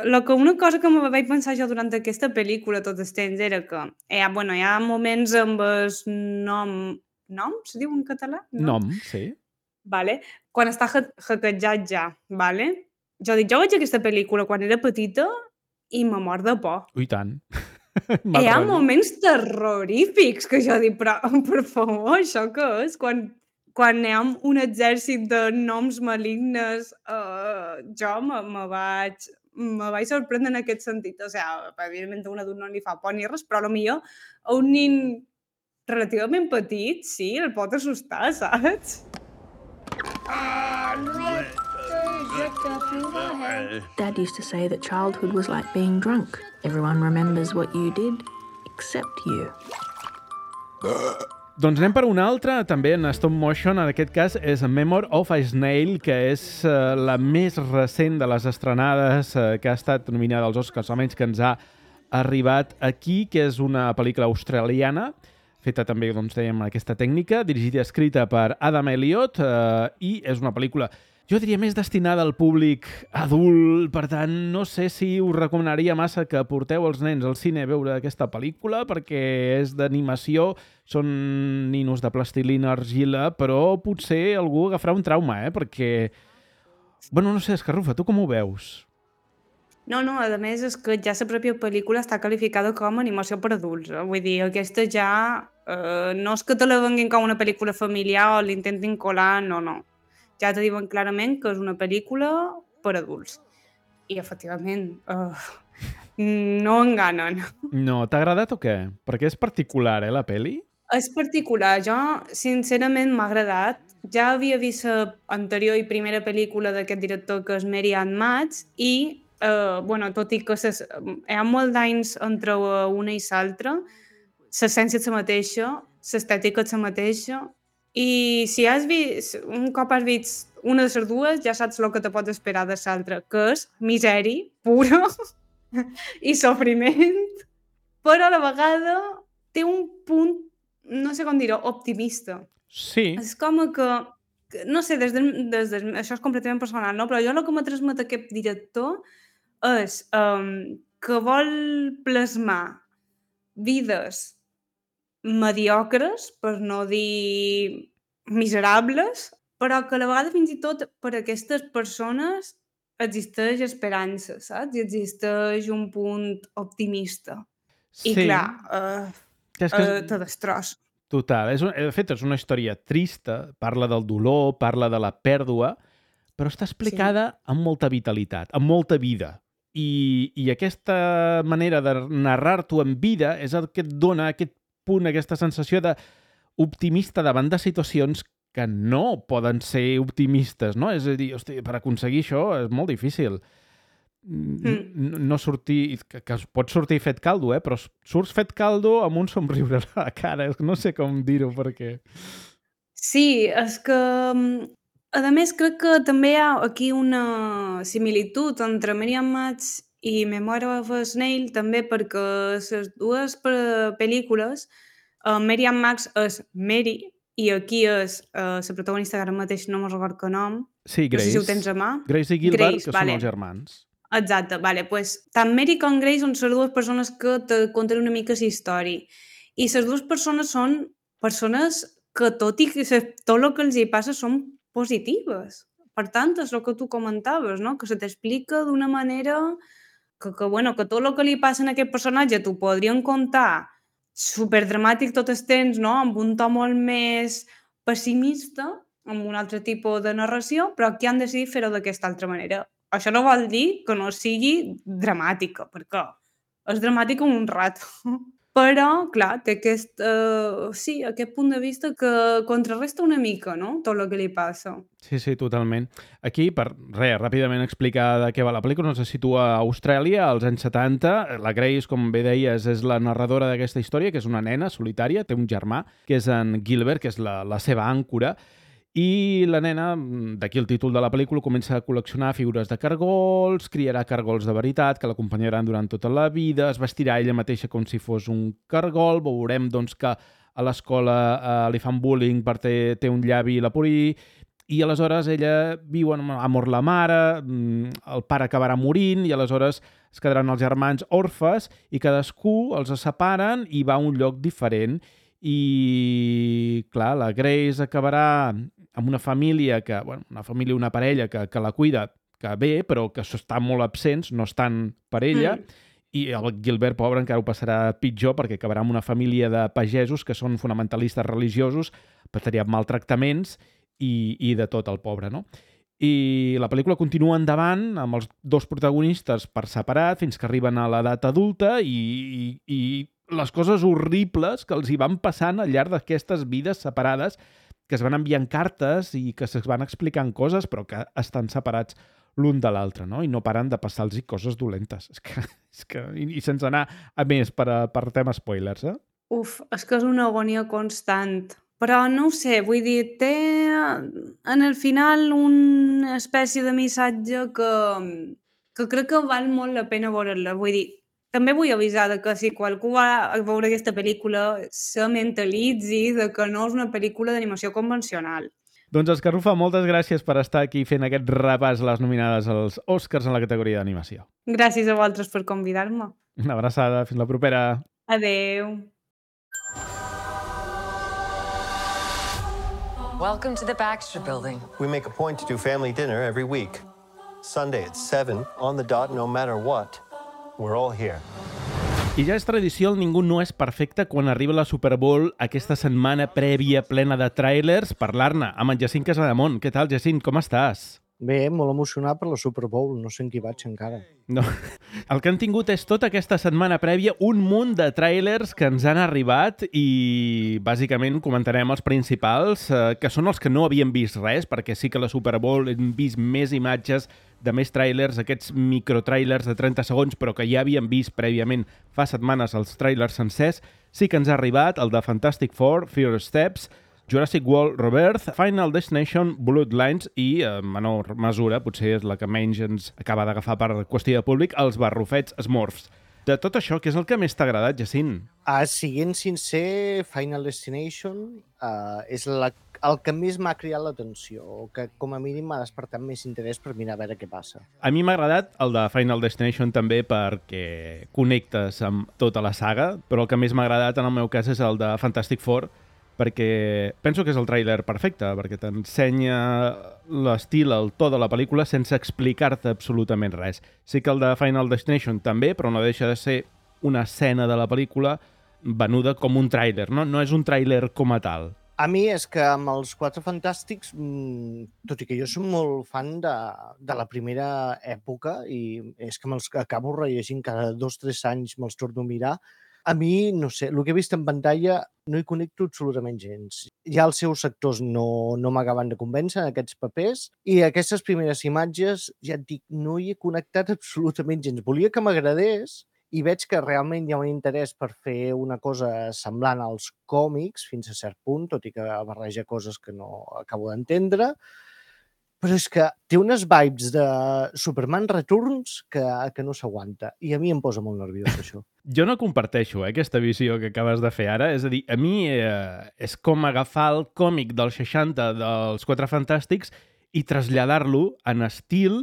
Lo que una cosa que me vaig pensar jo durant aquesta pel·lícula tot el temps era que hi ha, bueno, hi ha moments amb el nom... Nom? Se diu en català? Nom, sí. Vale. Quan està hackejat ja, vale? Jo dic, jo veig aquesta pel·lícula quan era petita i me mor de por. Ui, tant. Hi ha moments terrorífics que jo dic, però per favor, això què és? Quan, quan hi ha un exèrcit de noms malignes, uh, jo me, me vaig... me vaig sorprendre en aquest sentit. O sigui, evidentment a un adult no li fa por ni res, però potser a un nin relativament petit, sí, el pot assustar, saps? Dad used to say that childhood was like being drunk. Everyone remembers what you did, except you. Doncs anem per una altra, també en stop motion, en aquest cas és Memory of a Snail, que és uh, la més recent de les estrenades uh, que ha estat nominada als Oscars, almenys que ens ha arribat aquí, que és una pel·lícula australiana, feta també, doncs, dèiem, aquesta tècnica, dirigida i escrita per Adam Elliott, uh, i és una pel·lícula, jo diria, més destinada al públic adult, per tant, no sé si us recomanaria massa que porteu els nens al cine a veure aquesta pel·lícula, perquè és d'animació, són ninos de plastilina, argila, però potser algú agafarà un trauma, eh? Perquè, bueno, no sé, Escarrufa, tu com ho veus? No, no, a més és que ja la pròpia pel·lícula està qualificada com a animació per adults. Eh? Vull dir, aquesta ja... Eh, no és que te la venguin com una pel·lícula familiar o l'intentin colar, no, no. Ja te diuen clarament que és una pel·lícula per adults. I, efectivament, eh, no enganen. No, t'ha agradat o què? Perquè és particular, eh, la pel·li? És particular. Jo, sincerament, m'ha agradat. Ja havia vist l'anterior i primera pel·lícula d'aquest director, que és Mary Ann Matz, i Uh, bueno, tot i que ses, hi ha molt d'anys entre una i l'altra, l'essència és la mateixa, l'estètica és la mateixa, i si has vist, un cop has vist una de les dues, ja saps el que te pots esperar de l'altra, que és misèria pura i sofriment, però a la vegada té un punt, no sé com dir-ho, optimista. Sí. És com que, no sé, des de, des de, això és completament personal, no? Però jo el que m'ha transmet aquest director és um, que vol plasmar vides mediocres, per no dir miserables, però que a la vegada fins i tot per a aquestes persones existeix esperança, saps? I existeix un punt optimista. Sí. I clar, uh, és que... uh, te destrossa. Total. És un, de fet, és una història trista, parla del dolor, parla de la pèrdua, però està explicada sí. amb molta vitalitat, amb molta vida. I, i aquesta manera de narrar-t'ho en vida és el que et dona aquest punt, aquesta sensació d'optimista davant de situacions que no poden ser optimistes, no? És a dir, hosti, per aconseguir això és molt difícil. Mm. No, no sortir... Que, que pots sortir fet caldo, eh? Però surts fet caldo amb un somriure a la cara. No sé com dir-ho, perquè... Sí, és que... A més, crec que també hi ha aquí una similitud entre Mary Ann Matz i Memory of a Snail, també perquè les dues pel·lícules, uh, Mary Ann Matz és Mary, i aquí és uh, la protagonista, que ara mateix no me'n recordo que nom. Sí, Grace. No sé si ho tens a mà. Grace i Gilbert, Grace, que vale. són els germans. Exacte, vale, pues, tant Mary com Grace són les dues persones que te conten una mica la història. I les dues persones són persones que tot i que se, tot el que els hi passa són positives. Per tant, és el que tu comentaves, no? Que se t'explica d'una manera que, que, bueno, que tot el que li passa a aquest personatge t'ho podrien contar superdramàtic tot el temps, no? Amb un to molt més pessimista, amb un altre tipus de narració, però aquí han decidit fer-ho d'aquesta altra manera. Això no vol dir que no sigui dramàtica, perquè és dramàtica un rato. Però, clar, té aquest, uh, sí, aquest punt de vista que contrarresta una mica, no?, tot el que li passa. Sí, sí, totalment. Aquí, per res, ràpidament explicar de què va la pel·lícula, no se situa a Austràlia, als anys setanta. La Grace, com bé deies, és la narradora d'aquesta història, que és una nena solitària, té un germà, que és en Gilbert, que és la, la seva àncora, i la nena, d'aquí el títol de la pel·lícula, comença a col·leccionar figures de cargols, criarà cargols de veritat que l'acompanyaran durant tota la vida, es vestirà ella mateixa com si fos un cargol, veurem doncs, que a l'escola eh, li fan bullying perquè té, té un llavi leporí, i aleshores ella viu amb amor la mare, el pare acabarà morint, i aleshores es quedaran els germans orfes, i cadascú els separen i va a un lloc diferent. I, clar, la Grace acabarà amb una família, que, bueno, una família, una parella que, que la cuida, que bé, però que estan molt absents, no estan per ella, mm. i el Gilbert, pobre, encara ho passarà pitjor perquè acabarà amb una família de pagesos que són fonamentalistes religiosos, patrirà maltractaments i, i de tot el pobre, no? I la pel·lícula continua endavant amb els dos protagonistes per separat fins que arriben a l'edat adulta i, i, i les coses horribles que els hi van passant al llarg d'aquestes vides separades, que es van enviant cartes i que es van explicant coses, però que estan separats l'un de l'altre, no? I no paren de passar-los coses dolentes. És que, és que, i, I sense anar a més per, a, per tema spoilers, eh? Uf, és que és una agonia constant. Però no ho sé, vull dir, té en el final una espècie de missatge que, que crec que val molt la pena veure-la. Vull dir, també vull avisar de que si qualcú va a veure aquesta pel·lícula se mentalitzi de que no és una pel·lícula d'animació convencional. Doncs Escarrufa, moltes gràcies per estar aquí fent aquest repàs a les nominades als Oscars en la categoria d'animació. Gràcies a vosaltres per convidar-me. Una abraçada, fins la propera. Adeu. Welcome to the Baxter Building. We make a point to do family dinner every week. Sunday at seven, on the dot, no matter what. We're all here. I ja és tradició, el Ningú no és perfecte quan arriba la Super Bowl aquesta setmana prèvia plena de tràilers, parlar-ne amb en Jacint Casademont. Què tal, Jacint? Com estàs? Bé, molt emocionat per la Super Bowl. No sé en qui vaig encara. No. El que han tingut és tota aquesta setmana prèvia un munt de tràilers que ens han arribat i bàsicament comentarem els principals, eh, que són els que no havien vist res, perquè sí que la Super Bowl hem vist més imatges de més tràilers, aquests microtràilers de trenta segons, però que ja havíem vist prèviament fa setmanes els tràilers sencers. Sí que ens ha arribat el de Fantastic Four, Fear Steps, Jurassic World Rebirth, Final Destination, Bloodlines i, en menor mesura, potser és la que menys ens acaba d'agafar per qüestió de públic, els barrufets Smurfs. De tot això, què és el que més t'ha agradat, Jacint? Uh, siguent sincer, Final Destination uh, és la, el que més m'ha cridat l'atenció, o que com a mínim m'ha despertat més interès per mirar a veure què passa. A mi m'ha agradat el de Final Destination també perquè connectes amb tota la saga, però el que més m'ha agradat en el meu cas és el de Fantastic Four, perquè penso que és el tràiler perfecte, perquè t'ensenya l'estil, el to de la pel·lícula sense explicar-te absolutament res. Sí que el de Final Destination també, però no deixa de ser una escena de la pel·lícula venuda com un tràiler, no? No és un tràiler com a tal. A mi és que amb els Quatre Fantàstics, tot i que jo soc molt fan de, de la primera època i és que me'ls acabo rellegint cada dos o tres anys, me'ls torno a mirar, a mi, no sé, el que he vist en pantalla no hi connecto absolutament gens. Ja els seus actors no, no m'acaben de convèncer en aquests papers i aquestes primeres imatges, ja et dic, no hi he connectat absolutament gens. Volia que m'agradés i veig que realment hi ha un interès per fer una cosa semblant als còmics fins a cert punt, tot i que barreja coses que no acabo d'entendre. Però és que té unes vibes de Superman Returns que, que no s'aguanta. I a mi em posa molt nerviós, això. Jo no comparteixo eh, aquesta visió que acabes de fer ara. És a dir, a mi eh, és com agafar el còmic dels seixanta dels Quatre Fantàstics i traslladar-lo en estil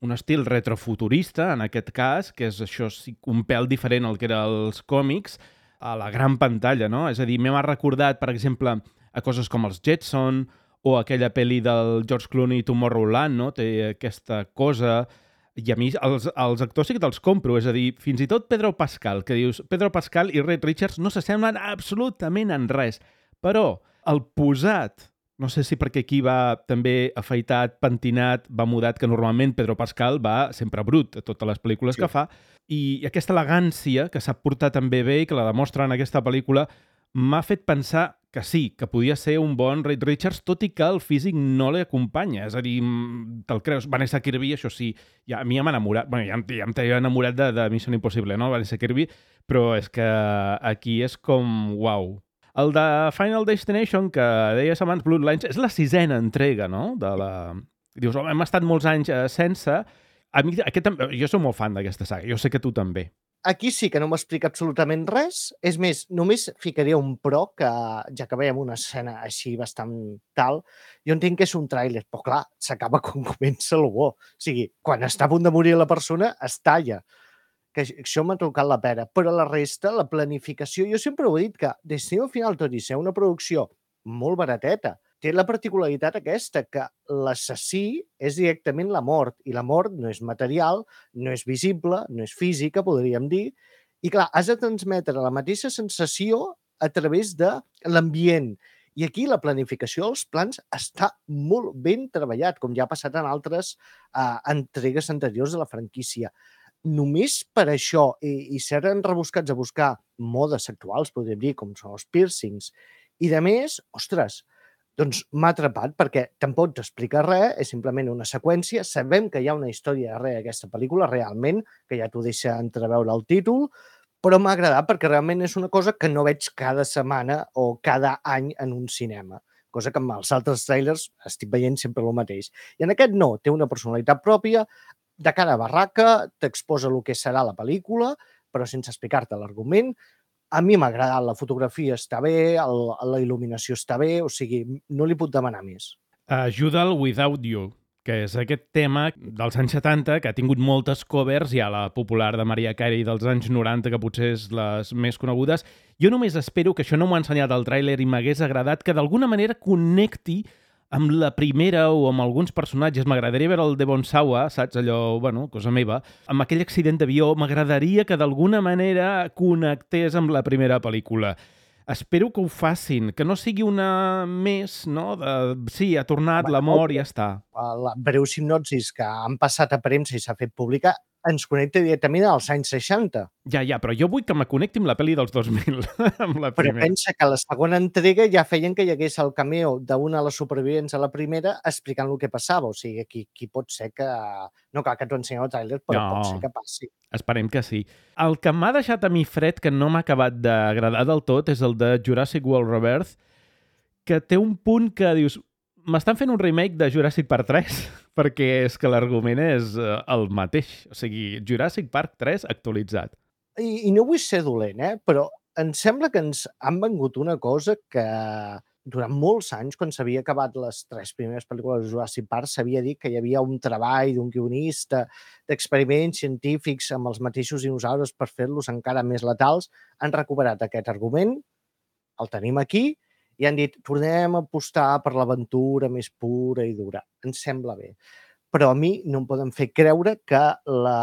un estil retrofuturista, en aquest cas, que és això sí, un pèl diferent al que eren els còmics, a la gran pantalla, no? És a dir, m'ha recordat, per exemple, a coses com els Jetson o aquella pel·li del George Clooney, Tomorrowland, no? Té aquesta cosa... I a mi els, els actors sí que te'ls compro, és a dir, fins i tot Pedro Pascal, que dius, Pedro Pascal i Reed Richards no s'assemblen absolutament en res, però el posat, no sé si perquè aquí va també afaitat, pentinat, va mudat, que normalment Pedro Pascal va sempre brut a totes les pel·lícules sí. que fa, i aquesta elegància que sap portar també bé i que la demostra en aquesta pel·lícula m'ha fet pensar que sí, que podia ser un bon Reed Richards, tot i que el físic no l'acompanya. És a dir, te'l creus. Vanessa Kirby, això sí, ja, a mi ja m'ha enamorat. Bueno, ja, ja em t'he enamorat de, de Mission Impossible, no? Vanessa Kirby, però és que aquí és com, uau. El de Final Destination, que deies abans, Bloodlines, és la sisena entrega, no? De la... Dius, oh, hem estat molts anys eh, sense... A mi, aquest, jo soc molt fan d'aquesta saga, jo sé que tu també. Aquí sí que no m'explica absolutament res. És més, només ficaria un pro, que ja que veiem una escena així bastant tal, jo entenc que és un tràiler, però clar, s'acaba quan comença el bo. O sigui, quan està a punt de morir la persona, es talla. Que això m'ha tocat la pera. Però la resta, la planificació, jo sempre ho he dit que Destino Final, tot i ser una producció molt barateta, té la particularitat aquesta, que l'assassí és directament la mort, i la mort no és material, no és visible, no és física, podríem dir, i clar, has de transmetre la mateixa sensació a través de l'ambient. I aquí la planificació dels plans està molt ben treballat, com ja ha passat en altres uh, entregues anteriors de la franquícia. Només per això, i, i ser rebuscats a buscar modes actuals, podríem dir, com són els piercings, i de més, ostres, doncs m'ha atrapat perquè tampoc t'explica res, és simplement una seqüència. Sabem que hi ha una història darrere d'aquesta pel·lícula, realment, que ja t'ho deixa entreveure el títol, però m'ha agradat perquè realment és una cosa que no veig cada setmana o cada any en un cinema, cosa que amb els altres trailers estic veient sempre el mateix. I en aquest no, té una personalitat pròpia, de cara a barraca, t'exposa el que serà la pel·lícula, però sense explicar-te l'argument. A mi m'ha agradat, la fotografia està bé, el, la il·luminació està bé, o sigui, no li puc demanar més. Ajuda el Without You, que és aquest tema dels anys setanta, que ha tingut moltes covers, hi ha la popular de Mariah Carey dels anys noranta, que potser és les més conegudes. Jo només espero que això no m'ho ha ensenyat el tràiler i m'hagués agradat que d'alguna manera connecti amb la primera o amb alguns personatges. M'agradaria veure el Devon Sawa, saps? Allò, bueno, cosa meva. Amb aquell accident d'avió, m'agradaria que d'alguna manera connectés amb la primera pel·lícula. Espero que ho facin, que no sigui una més, no? De, sí, ha tornat l'amor i ja està. La breu sinopsis que han passat a premsa i s'ha fet pública ens connecta directament als anys seixanta. Ja, ja, però jo vull que me connecti amb la pel·li dels dos mil, amb la però primera. Pensa que a la segona entrega ja feien que hi hagués el cameo d'una de les supervivents a la primera explicant el que passava. O sigui, aquí, aquí pot ser que... No cal que t'ho ensenyi el tràiler, però no, pot ser que passi. Esperem que sí. El que m'ha deixat a mi fred, que no m'ha acabat d'agradar del tot, és el de Jurassic World Rebirth, que té un punt que dius... M'estan fent un remake de Jurassic Park tres, perquè és que l'argument és uh, el mateix. O sigui, Jurassic Park tres actualitzat. I, I no vull ser dolent, eh? Però em sembla que ens han vengut una cosa que durant molts anys, quan s'havia acabat les tres primeres pel·lícules de Jurassic Park, s'havia dit que hi havia un treball d'un guionista, d'experiments científics amb els mateixos dinosaures per fer-los encara més letals. Han recuperat aquest argument, el tenim aquí, i han dit, tornem a apostar per l'aventura més pura i dura. Ens sembla bé. Però a mi no em poden fer creure que la,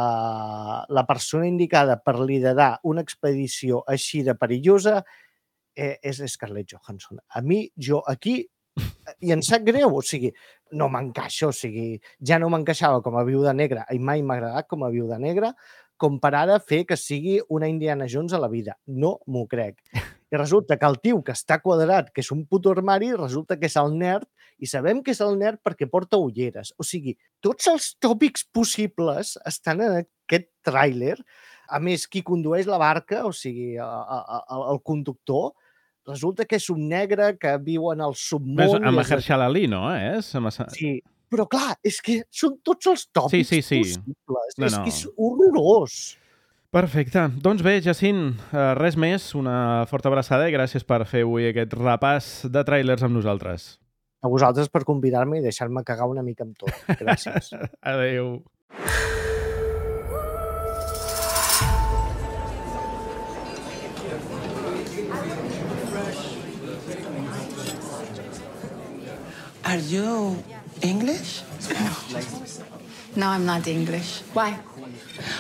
la persona indicada per liderar una expedició així de perillosa eh, és Scarlett Johansson. A mi, jo aquí, i em sap greu, o sigui, no m'encaixa, o sigui, ja no m'encaixava com a Viuda Negra i mai m'ha agradat com a Viuda Negra, com per ara fer que sigui una Indiana Jones a la vida. No m'ho crec. I resulta que el tio que està quadrat, que és un puto armari, resulta que és el nerd, i sabem que és el nerd perquè porta ulleres. O sigui, tots els tòpics possibles estan en aquest tràiler. A més, qui condueix la barca, o sigui, el, el conductor, resulta que és un negre que viu en el submón. Amb Mahershala Ali, no? És? Sí, però clar, és que són tots els tòpics sí, sí, sí. possibles. No, és no. que és horrorós. Perfecte. Doncs bé, Jacint, res més, una forta abraçada i gràcies per fer avui aquest repàs de tràilers amb nosaltres. A vosaltres per convidar-me i deixar-me cagar una mica amb tot. Gràcies. Adéu. Are you English? No, I'm not English. Why?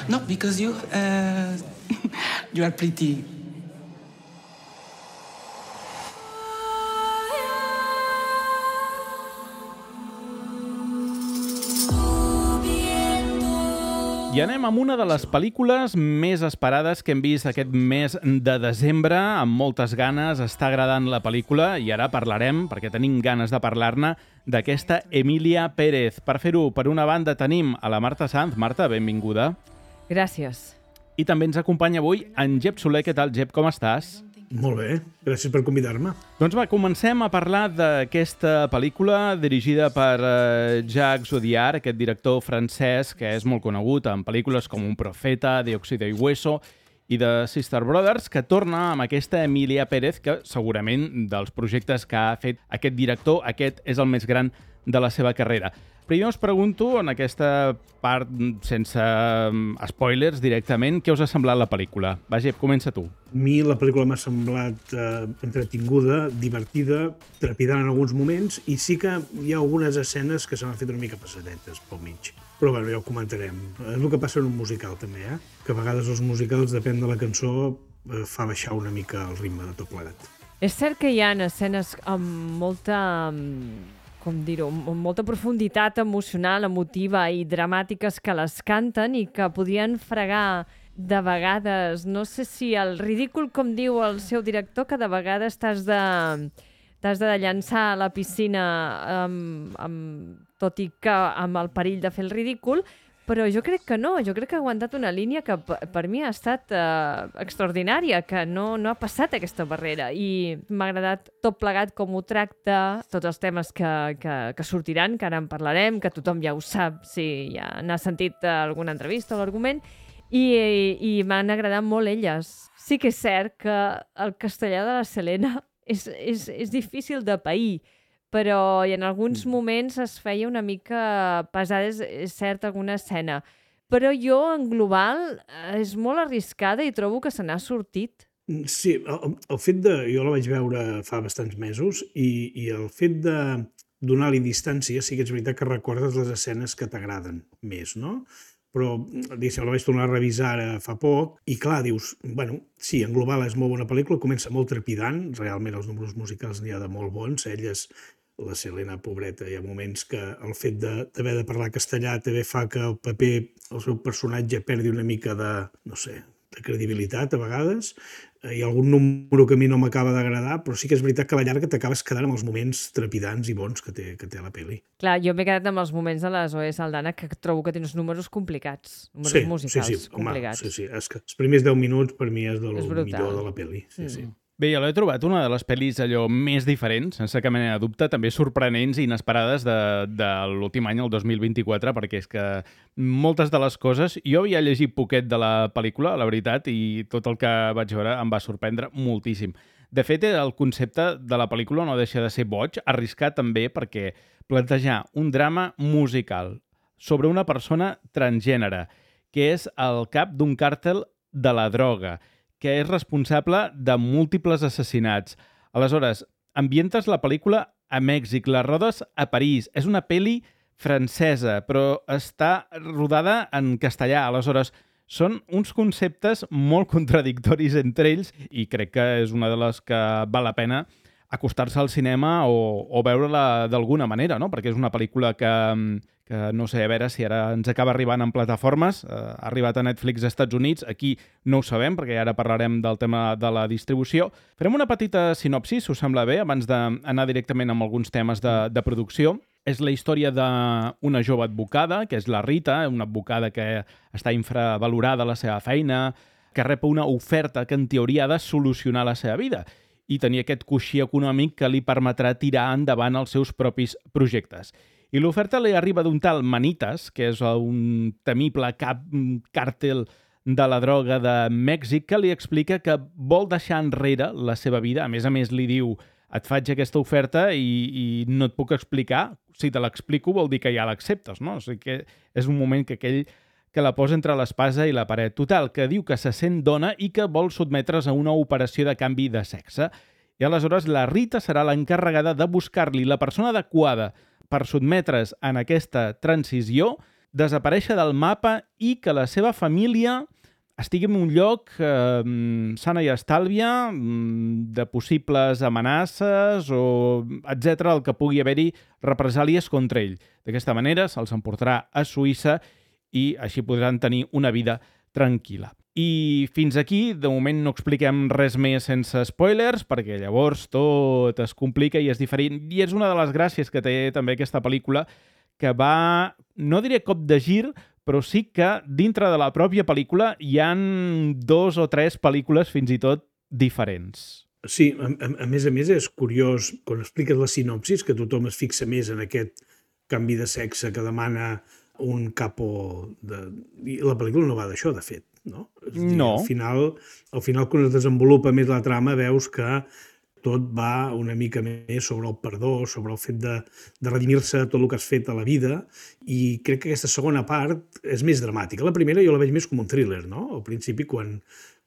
No, because you, uh, you are pretty. I anem amb una de les pel·lícules més esperades que hem vist aquest mes de desembre, amb moltes ganes, està agradant la pel·lícula i ara parlarem, perquè tenim ganes de parlar-ne, d'aquesta Emilia Pérez. Per fer-ho, per una banda, tenim a la Marta Sanz. Marta, benvinguda. Gràcies. I també ens acompanya avui en Jep Soler. Què tal, Jep? Com estàs? Molt bé, gràcies per convidar-me. Doncs va, comencem a parlar d'aquesta pel·lícula dirigida per uh, Jacques Audiard, aquest director francès que és molt conegut en pel·lícules com Un profeta, de Óxido y Hueso i de Sister Brothers, que torna amb aquesta Emilia Pérez, que segurament dels projectes que ha fet aquest director, aquest és el més gran de la seva carrera. Primer us pregunto, en aquesta part sense spoilers directament, què us ha semblat la pel·lícula? Va, Jep, comença tu. A mi la pel·lícula m'ha semblat eh, entretinguda, divertida, trepidant en alguns moments, i sí que hi ha algunes escenes que se m'han fet una mica passadetes pel mig. Però bé, ja ho comentarem. És el que passa en un musical també, eh? Que a vegades els musicals, depèn de la cançó, eh, fa baixar una mica el ritme de tot plegat. És cert que hi ha escenes amb molta... com dir-ho, amb molta profunditat emocional, emotiva i dramàtiques que les canten i que podien fregar de vegades, no sé si el ridícul, com diu el seu director, que de vegades t'has de, t'has de llançar a la piscina amb, amb, tot i que amb el perill de fer el ridícul, però jo crec que no, jo crec que ha aguantat una línia que per mi ha estat eh, extraordinària, que no, no ha passat aquesta barrera i m'ha agradat tot plegat com ho tracta, tots els temes que, que, que sortiran, que ara en parlarem, que tothom ja ho sap si ja n'ha sentit alguna entrevista o l'argument, i, i, i m'han agradat molt elles. Sí que és cert que el castellà de la Selena és, és, és difícil de pair, però en alguns moments es feia una mica pesada, és, és cert, alguna escena. Però jo, en global, és molt arriscada i trobo que se n'ha sortit. Sí, el, el fet de... Jo la vaig veure fa bastants mesos i, i el fet de donar-li distància sí que és veritat que recordes les escenes que t'agraden més, no? Però, diguéssim, la vaig tornar a revisar ara fa poc i, clar, dius, bueno, sí, en global és molt bona pel·lícula, comença molt trepidant, realment els números musicals n'hi ha de molt bons, elles... La Selena, pobreta, hi ha moments que el fet d'haver de, de parlar castellà també fa que el paper, el seu personatge perdi una mica de, no sé, de credibilitat a vegades. Hi ha algun número que a mi no m'acaba d'agradar, però sí que és veritat que a la llarga t'acabes quedant amb els moments trepidants i bons que té, que té la pel·li. Clar, jo m'he quedat amb els moments de la Zoe Saldana, que trobo que té uns números complicats, números sí, musicals sí, sí. complicats. Home, sí, sí. És que els primers deu minuts per mi és del és millor de la pel·li. Sí, mm. sí. Bé, jo l'he trobat una de les pel·lis allò més diferents, sense cap mena de dubte, també sorprenents i inesperades de, de l'últim any, el dos mil vint-i-quatre, perquè és que moltes de les coses... Jo havia llegit poquet de la pel·lícula, la veritat, i tot el que vaig veure em va sorprendre moltíssim. De fet, el concepte de la pel·lícula no deixa de ser boig, arriscat també perquè plantejar un drama musical sobre una persona transgènere, que és el cap d'un càrtel de la droga, que és responsable de múltiples assassinats. Aleshores, ambientes la pel·lícula a Mèxic, la rodes a París. És una pel·li francesa, però està rodada en castellà. Aleshores, són uns conceptes molt contradictoris entre ells i crec que és una de les que val la pena acostar-se al cinema o, o veure-la d'alguna manera, no? Perquè és una pel·lícula que, que no sé, a veure si ara ens acaba arribant en plataformes, eh, ha arribat a Netflix als Estats Units, aquí no ho sabem, perquè ara parlarem del tema de la distribució. Farem una petita sinopsi, si us sembla bé, abans d'anar directament amb alguns temes de, de producció. És la història d'una jove advocada, que és la Rita, una advocada que està infravalorada a la seva feina, que rep una oferta que en teoria ha de solucionar la seva vida i tenir aquest coixí econòmic que li permetrà tirar endavant els seus propis projectes. I l'oferta li arriba d'un tal Manitas, que és un temible cap càrtel de la droga de Mèxic, que li explica que vol deixar enrere la seva vida. A més a més, li diu, et faig aquesta oferta i, i no et puc explicar. Si te l'explico vol dir que ja l'acceptes, no? O sigui que és un moment que aquell que la posa entre l'espasa i la paret. Total, que diu que se sent dona i que vol sotmetre's a una operació de canvi de sexe. I aleshores la Rita serà l'encarregada de buscar-li la persona adequada per sotmetre's en aquesta transició, desaparèixer del mapa i que la seva família estigui en un lloc eh, sana i estàlvia, de possibles amenaces o etcètera, el que pugui haver-hi represàlies contra ell. D'aquesta manera se'ls emportarà a Suïssa i així podran tenir una vida tranquil·la. I fins aquí, de moment no expliquem res més sense spoilers, perquè llavors tot es complica i és diferent. I és una de les gràcies que té també aquesta pel·lícula, que va, no diré cop de gir, però sí que dintre de la pròpia pel·lícula hi han dos o tres pel·lícules fins i tot diferents. Sí, a, a, a més a més és curiós, quan expliques la sinopsis, que tothom es fixa més en aquest canvi de sexe que demana un capo de... I la pel·lícula no va d'això, de fet, no? És dir, no. Al final, al final, quan es desenvolupa més la trama, veus que tot va una mica més sobre el perdó, sobre el fet de, de redimir-se tot el que has fet a la vida, i crec que aquesta segona part és més dramàtica. La primera jo la veig més com un thriller, no? Al principi, quan,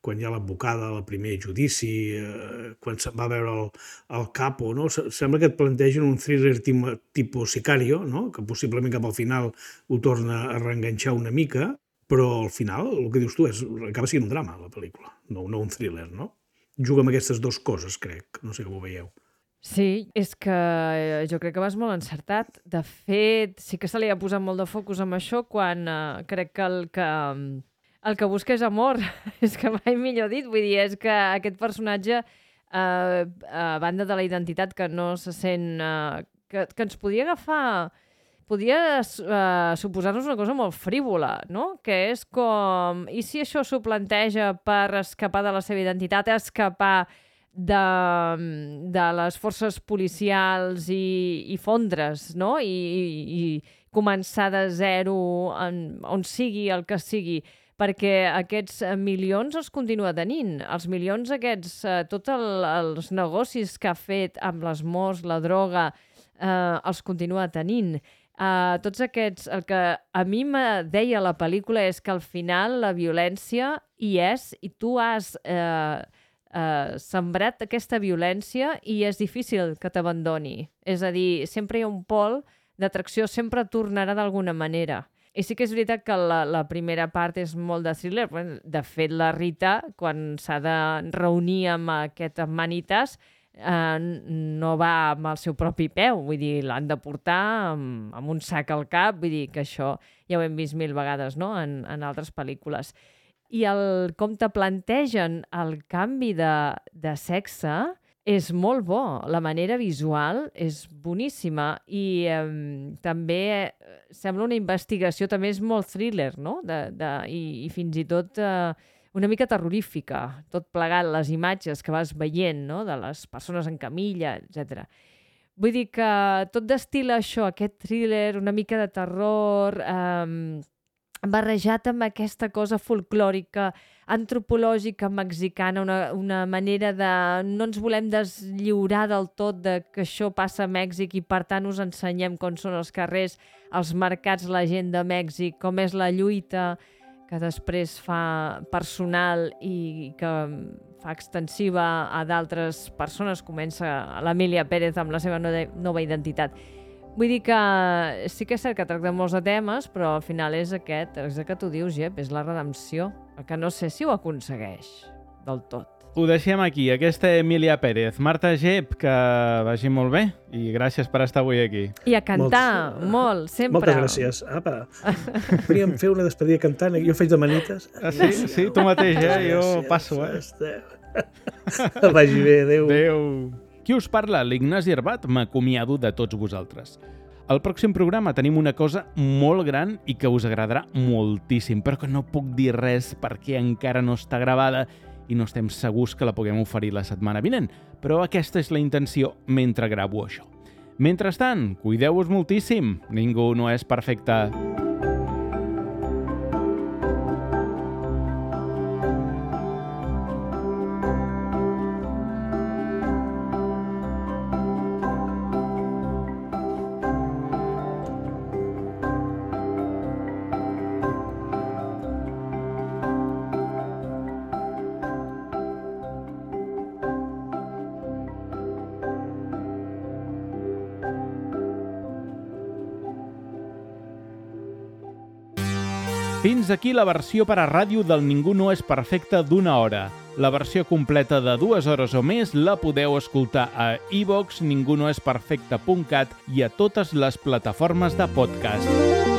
quan hi ha l'advocada, el primer judici, eh, quan se'n va veure el, el capo, no? Sembla que et plantegen un thriller tipus Sicario, no? Que possiblement cap al final ho torna a reenganxar una mica, però al final, el que dius tu, és, acaba sent un drama, la pel·lícula, no, no un thriller, no? Juga amb aquestes dues coses, crec. No sé com ho veieu. Sí, és que jo crec que vas molt encertat. De fet, sí que se li ha posat molt de focus amb això quan uh, crec que el que, el que busca és amor. És que mai millor dit. Vull dir, és que aquest personatge, uh, a banda de la identitat que no se sent... Uh, que, que ens podia agafar... Podria uh, suposar-nos una cosa molt frívola, no? Que és com... I si això s'ho planteja per escapar de la seva identitat, escapar de, de les forces policials i, i fondre's, no? I, i, i començar de zero en, on sigui el que sigui, perquè aquests milions els continua tenint. Els milions aquests, uh, tots el, els negocis que ha fet amb les morts, la droga, uh, els continua tenint. Uh, tots aquests... El que a mi me deia la pel·lícula és que al final la violència hi és i tu has uh, uh, sembrat aquesta violència i és difícil que t'abandoni. És a dir, sempre hi ha un pol d'atracció, sempre tornarà d'alguna manera. I sí que és veritat que la, la primera part és molt de thriller. De fet, la Rita, quan s'ha de reunir amb aquest Manitas, Uh, no va amb el seu propi peu, vull dir, l'han de portar amb, amb un sac al cap, vull dir que això ja ho hem vist mil vegades, no?, en, en altres pel·lícules. I el, com te plantegen el canvi de, de sexe és molt bo, la manera visual és boníssima i um, també sembla una investigació, també és molt thriller, no?, de, de, i, i fins i tot... Uh, una mica terrorífica, tot plegat, les imatges que vas veient, no?, de les persones en camilla, etcètera. Vull dir que tot destila això, aquest thriller, una mica de terror, eh, barrejat amb aquesta cosa folclòrica, antropològica, mexicana, una, una manera de... No ens volem deslliurar del tot de que això passa a Mèxic i per tant us ensenyem com són els carrers, els mercats, la gent de Mèxic, com és la lluita, que després fa personal i que fa extensiva a d'altres persones. Comença l'Emília Pérez amb la seva nova identitat. Vull dir que sí que és cert que tracta molts de temes, però al final és aquest, és el que tu dius, Jep, és la redempció, el que no sé si ho aconsegueix del tot. Ho deixem aquí, aquesta Emília Pérez. Marta Gep, que vagi molt bé i gràcies per estar avui aquí. I a cantar, Molts, molt, sempre. Moltes gràcies. Apa, podríem fer una despedida cantant, jo faig de manites. Ah, sí? Sí, tu mateix, eh? Jo passo, eh? Vagi bé, adéu. Adéu. Qui us parla? L'Ignasi Arbat, m'acomiado de tots vosaltres. Al pròxim programa tenim una cosa molt gran i que us agradarà moltíssim, però que no puc dir res perquè encara no està gravada i no estem segurs que la puguem oferir la setmana vinent, però aquesta és la intenció mentre gravo això. Mentrestant, cuideu-vos moltíssim, ningú no és perfecte. Fins aquí la versió per a ràdio del Ningú no és perfecte d'una hora. La versió completa de dues hores o més la podeu escoltar a iVox, ningunoesperfecte punt cat i a totes les plataformes de podcast.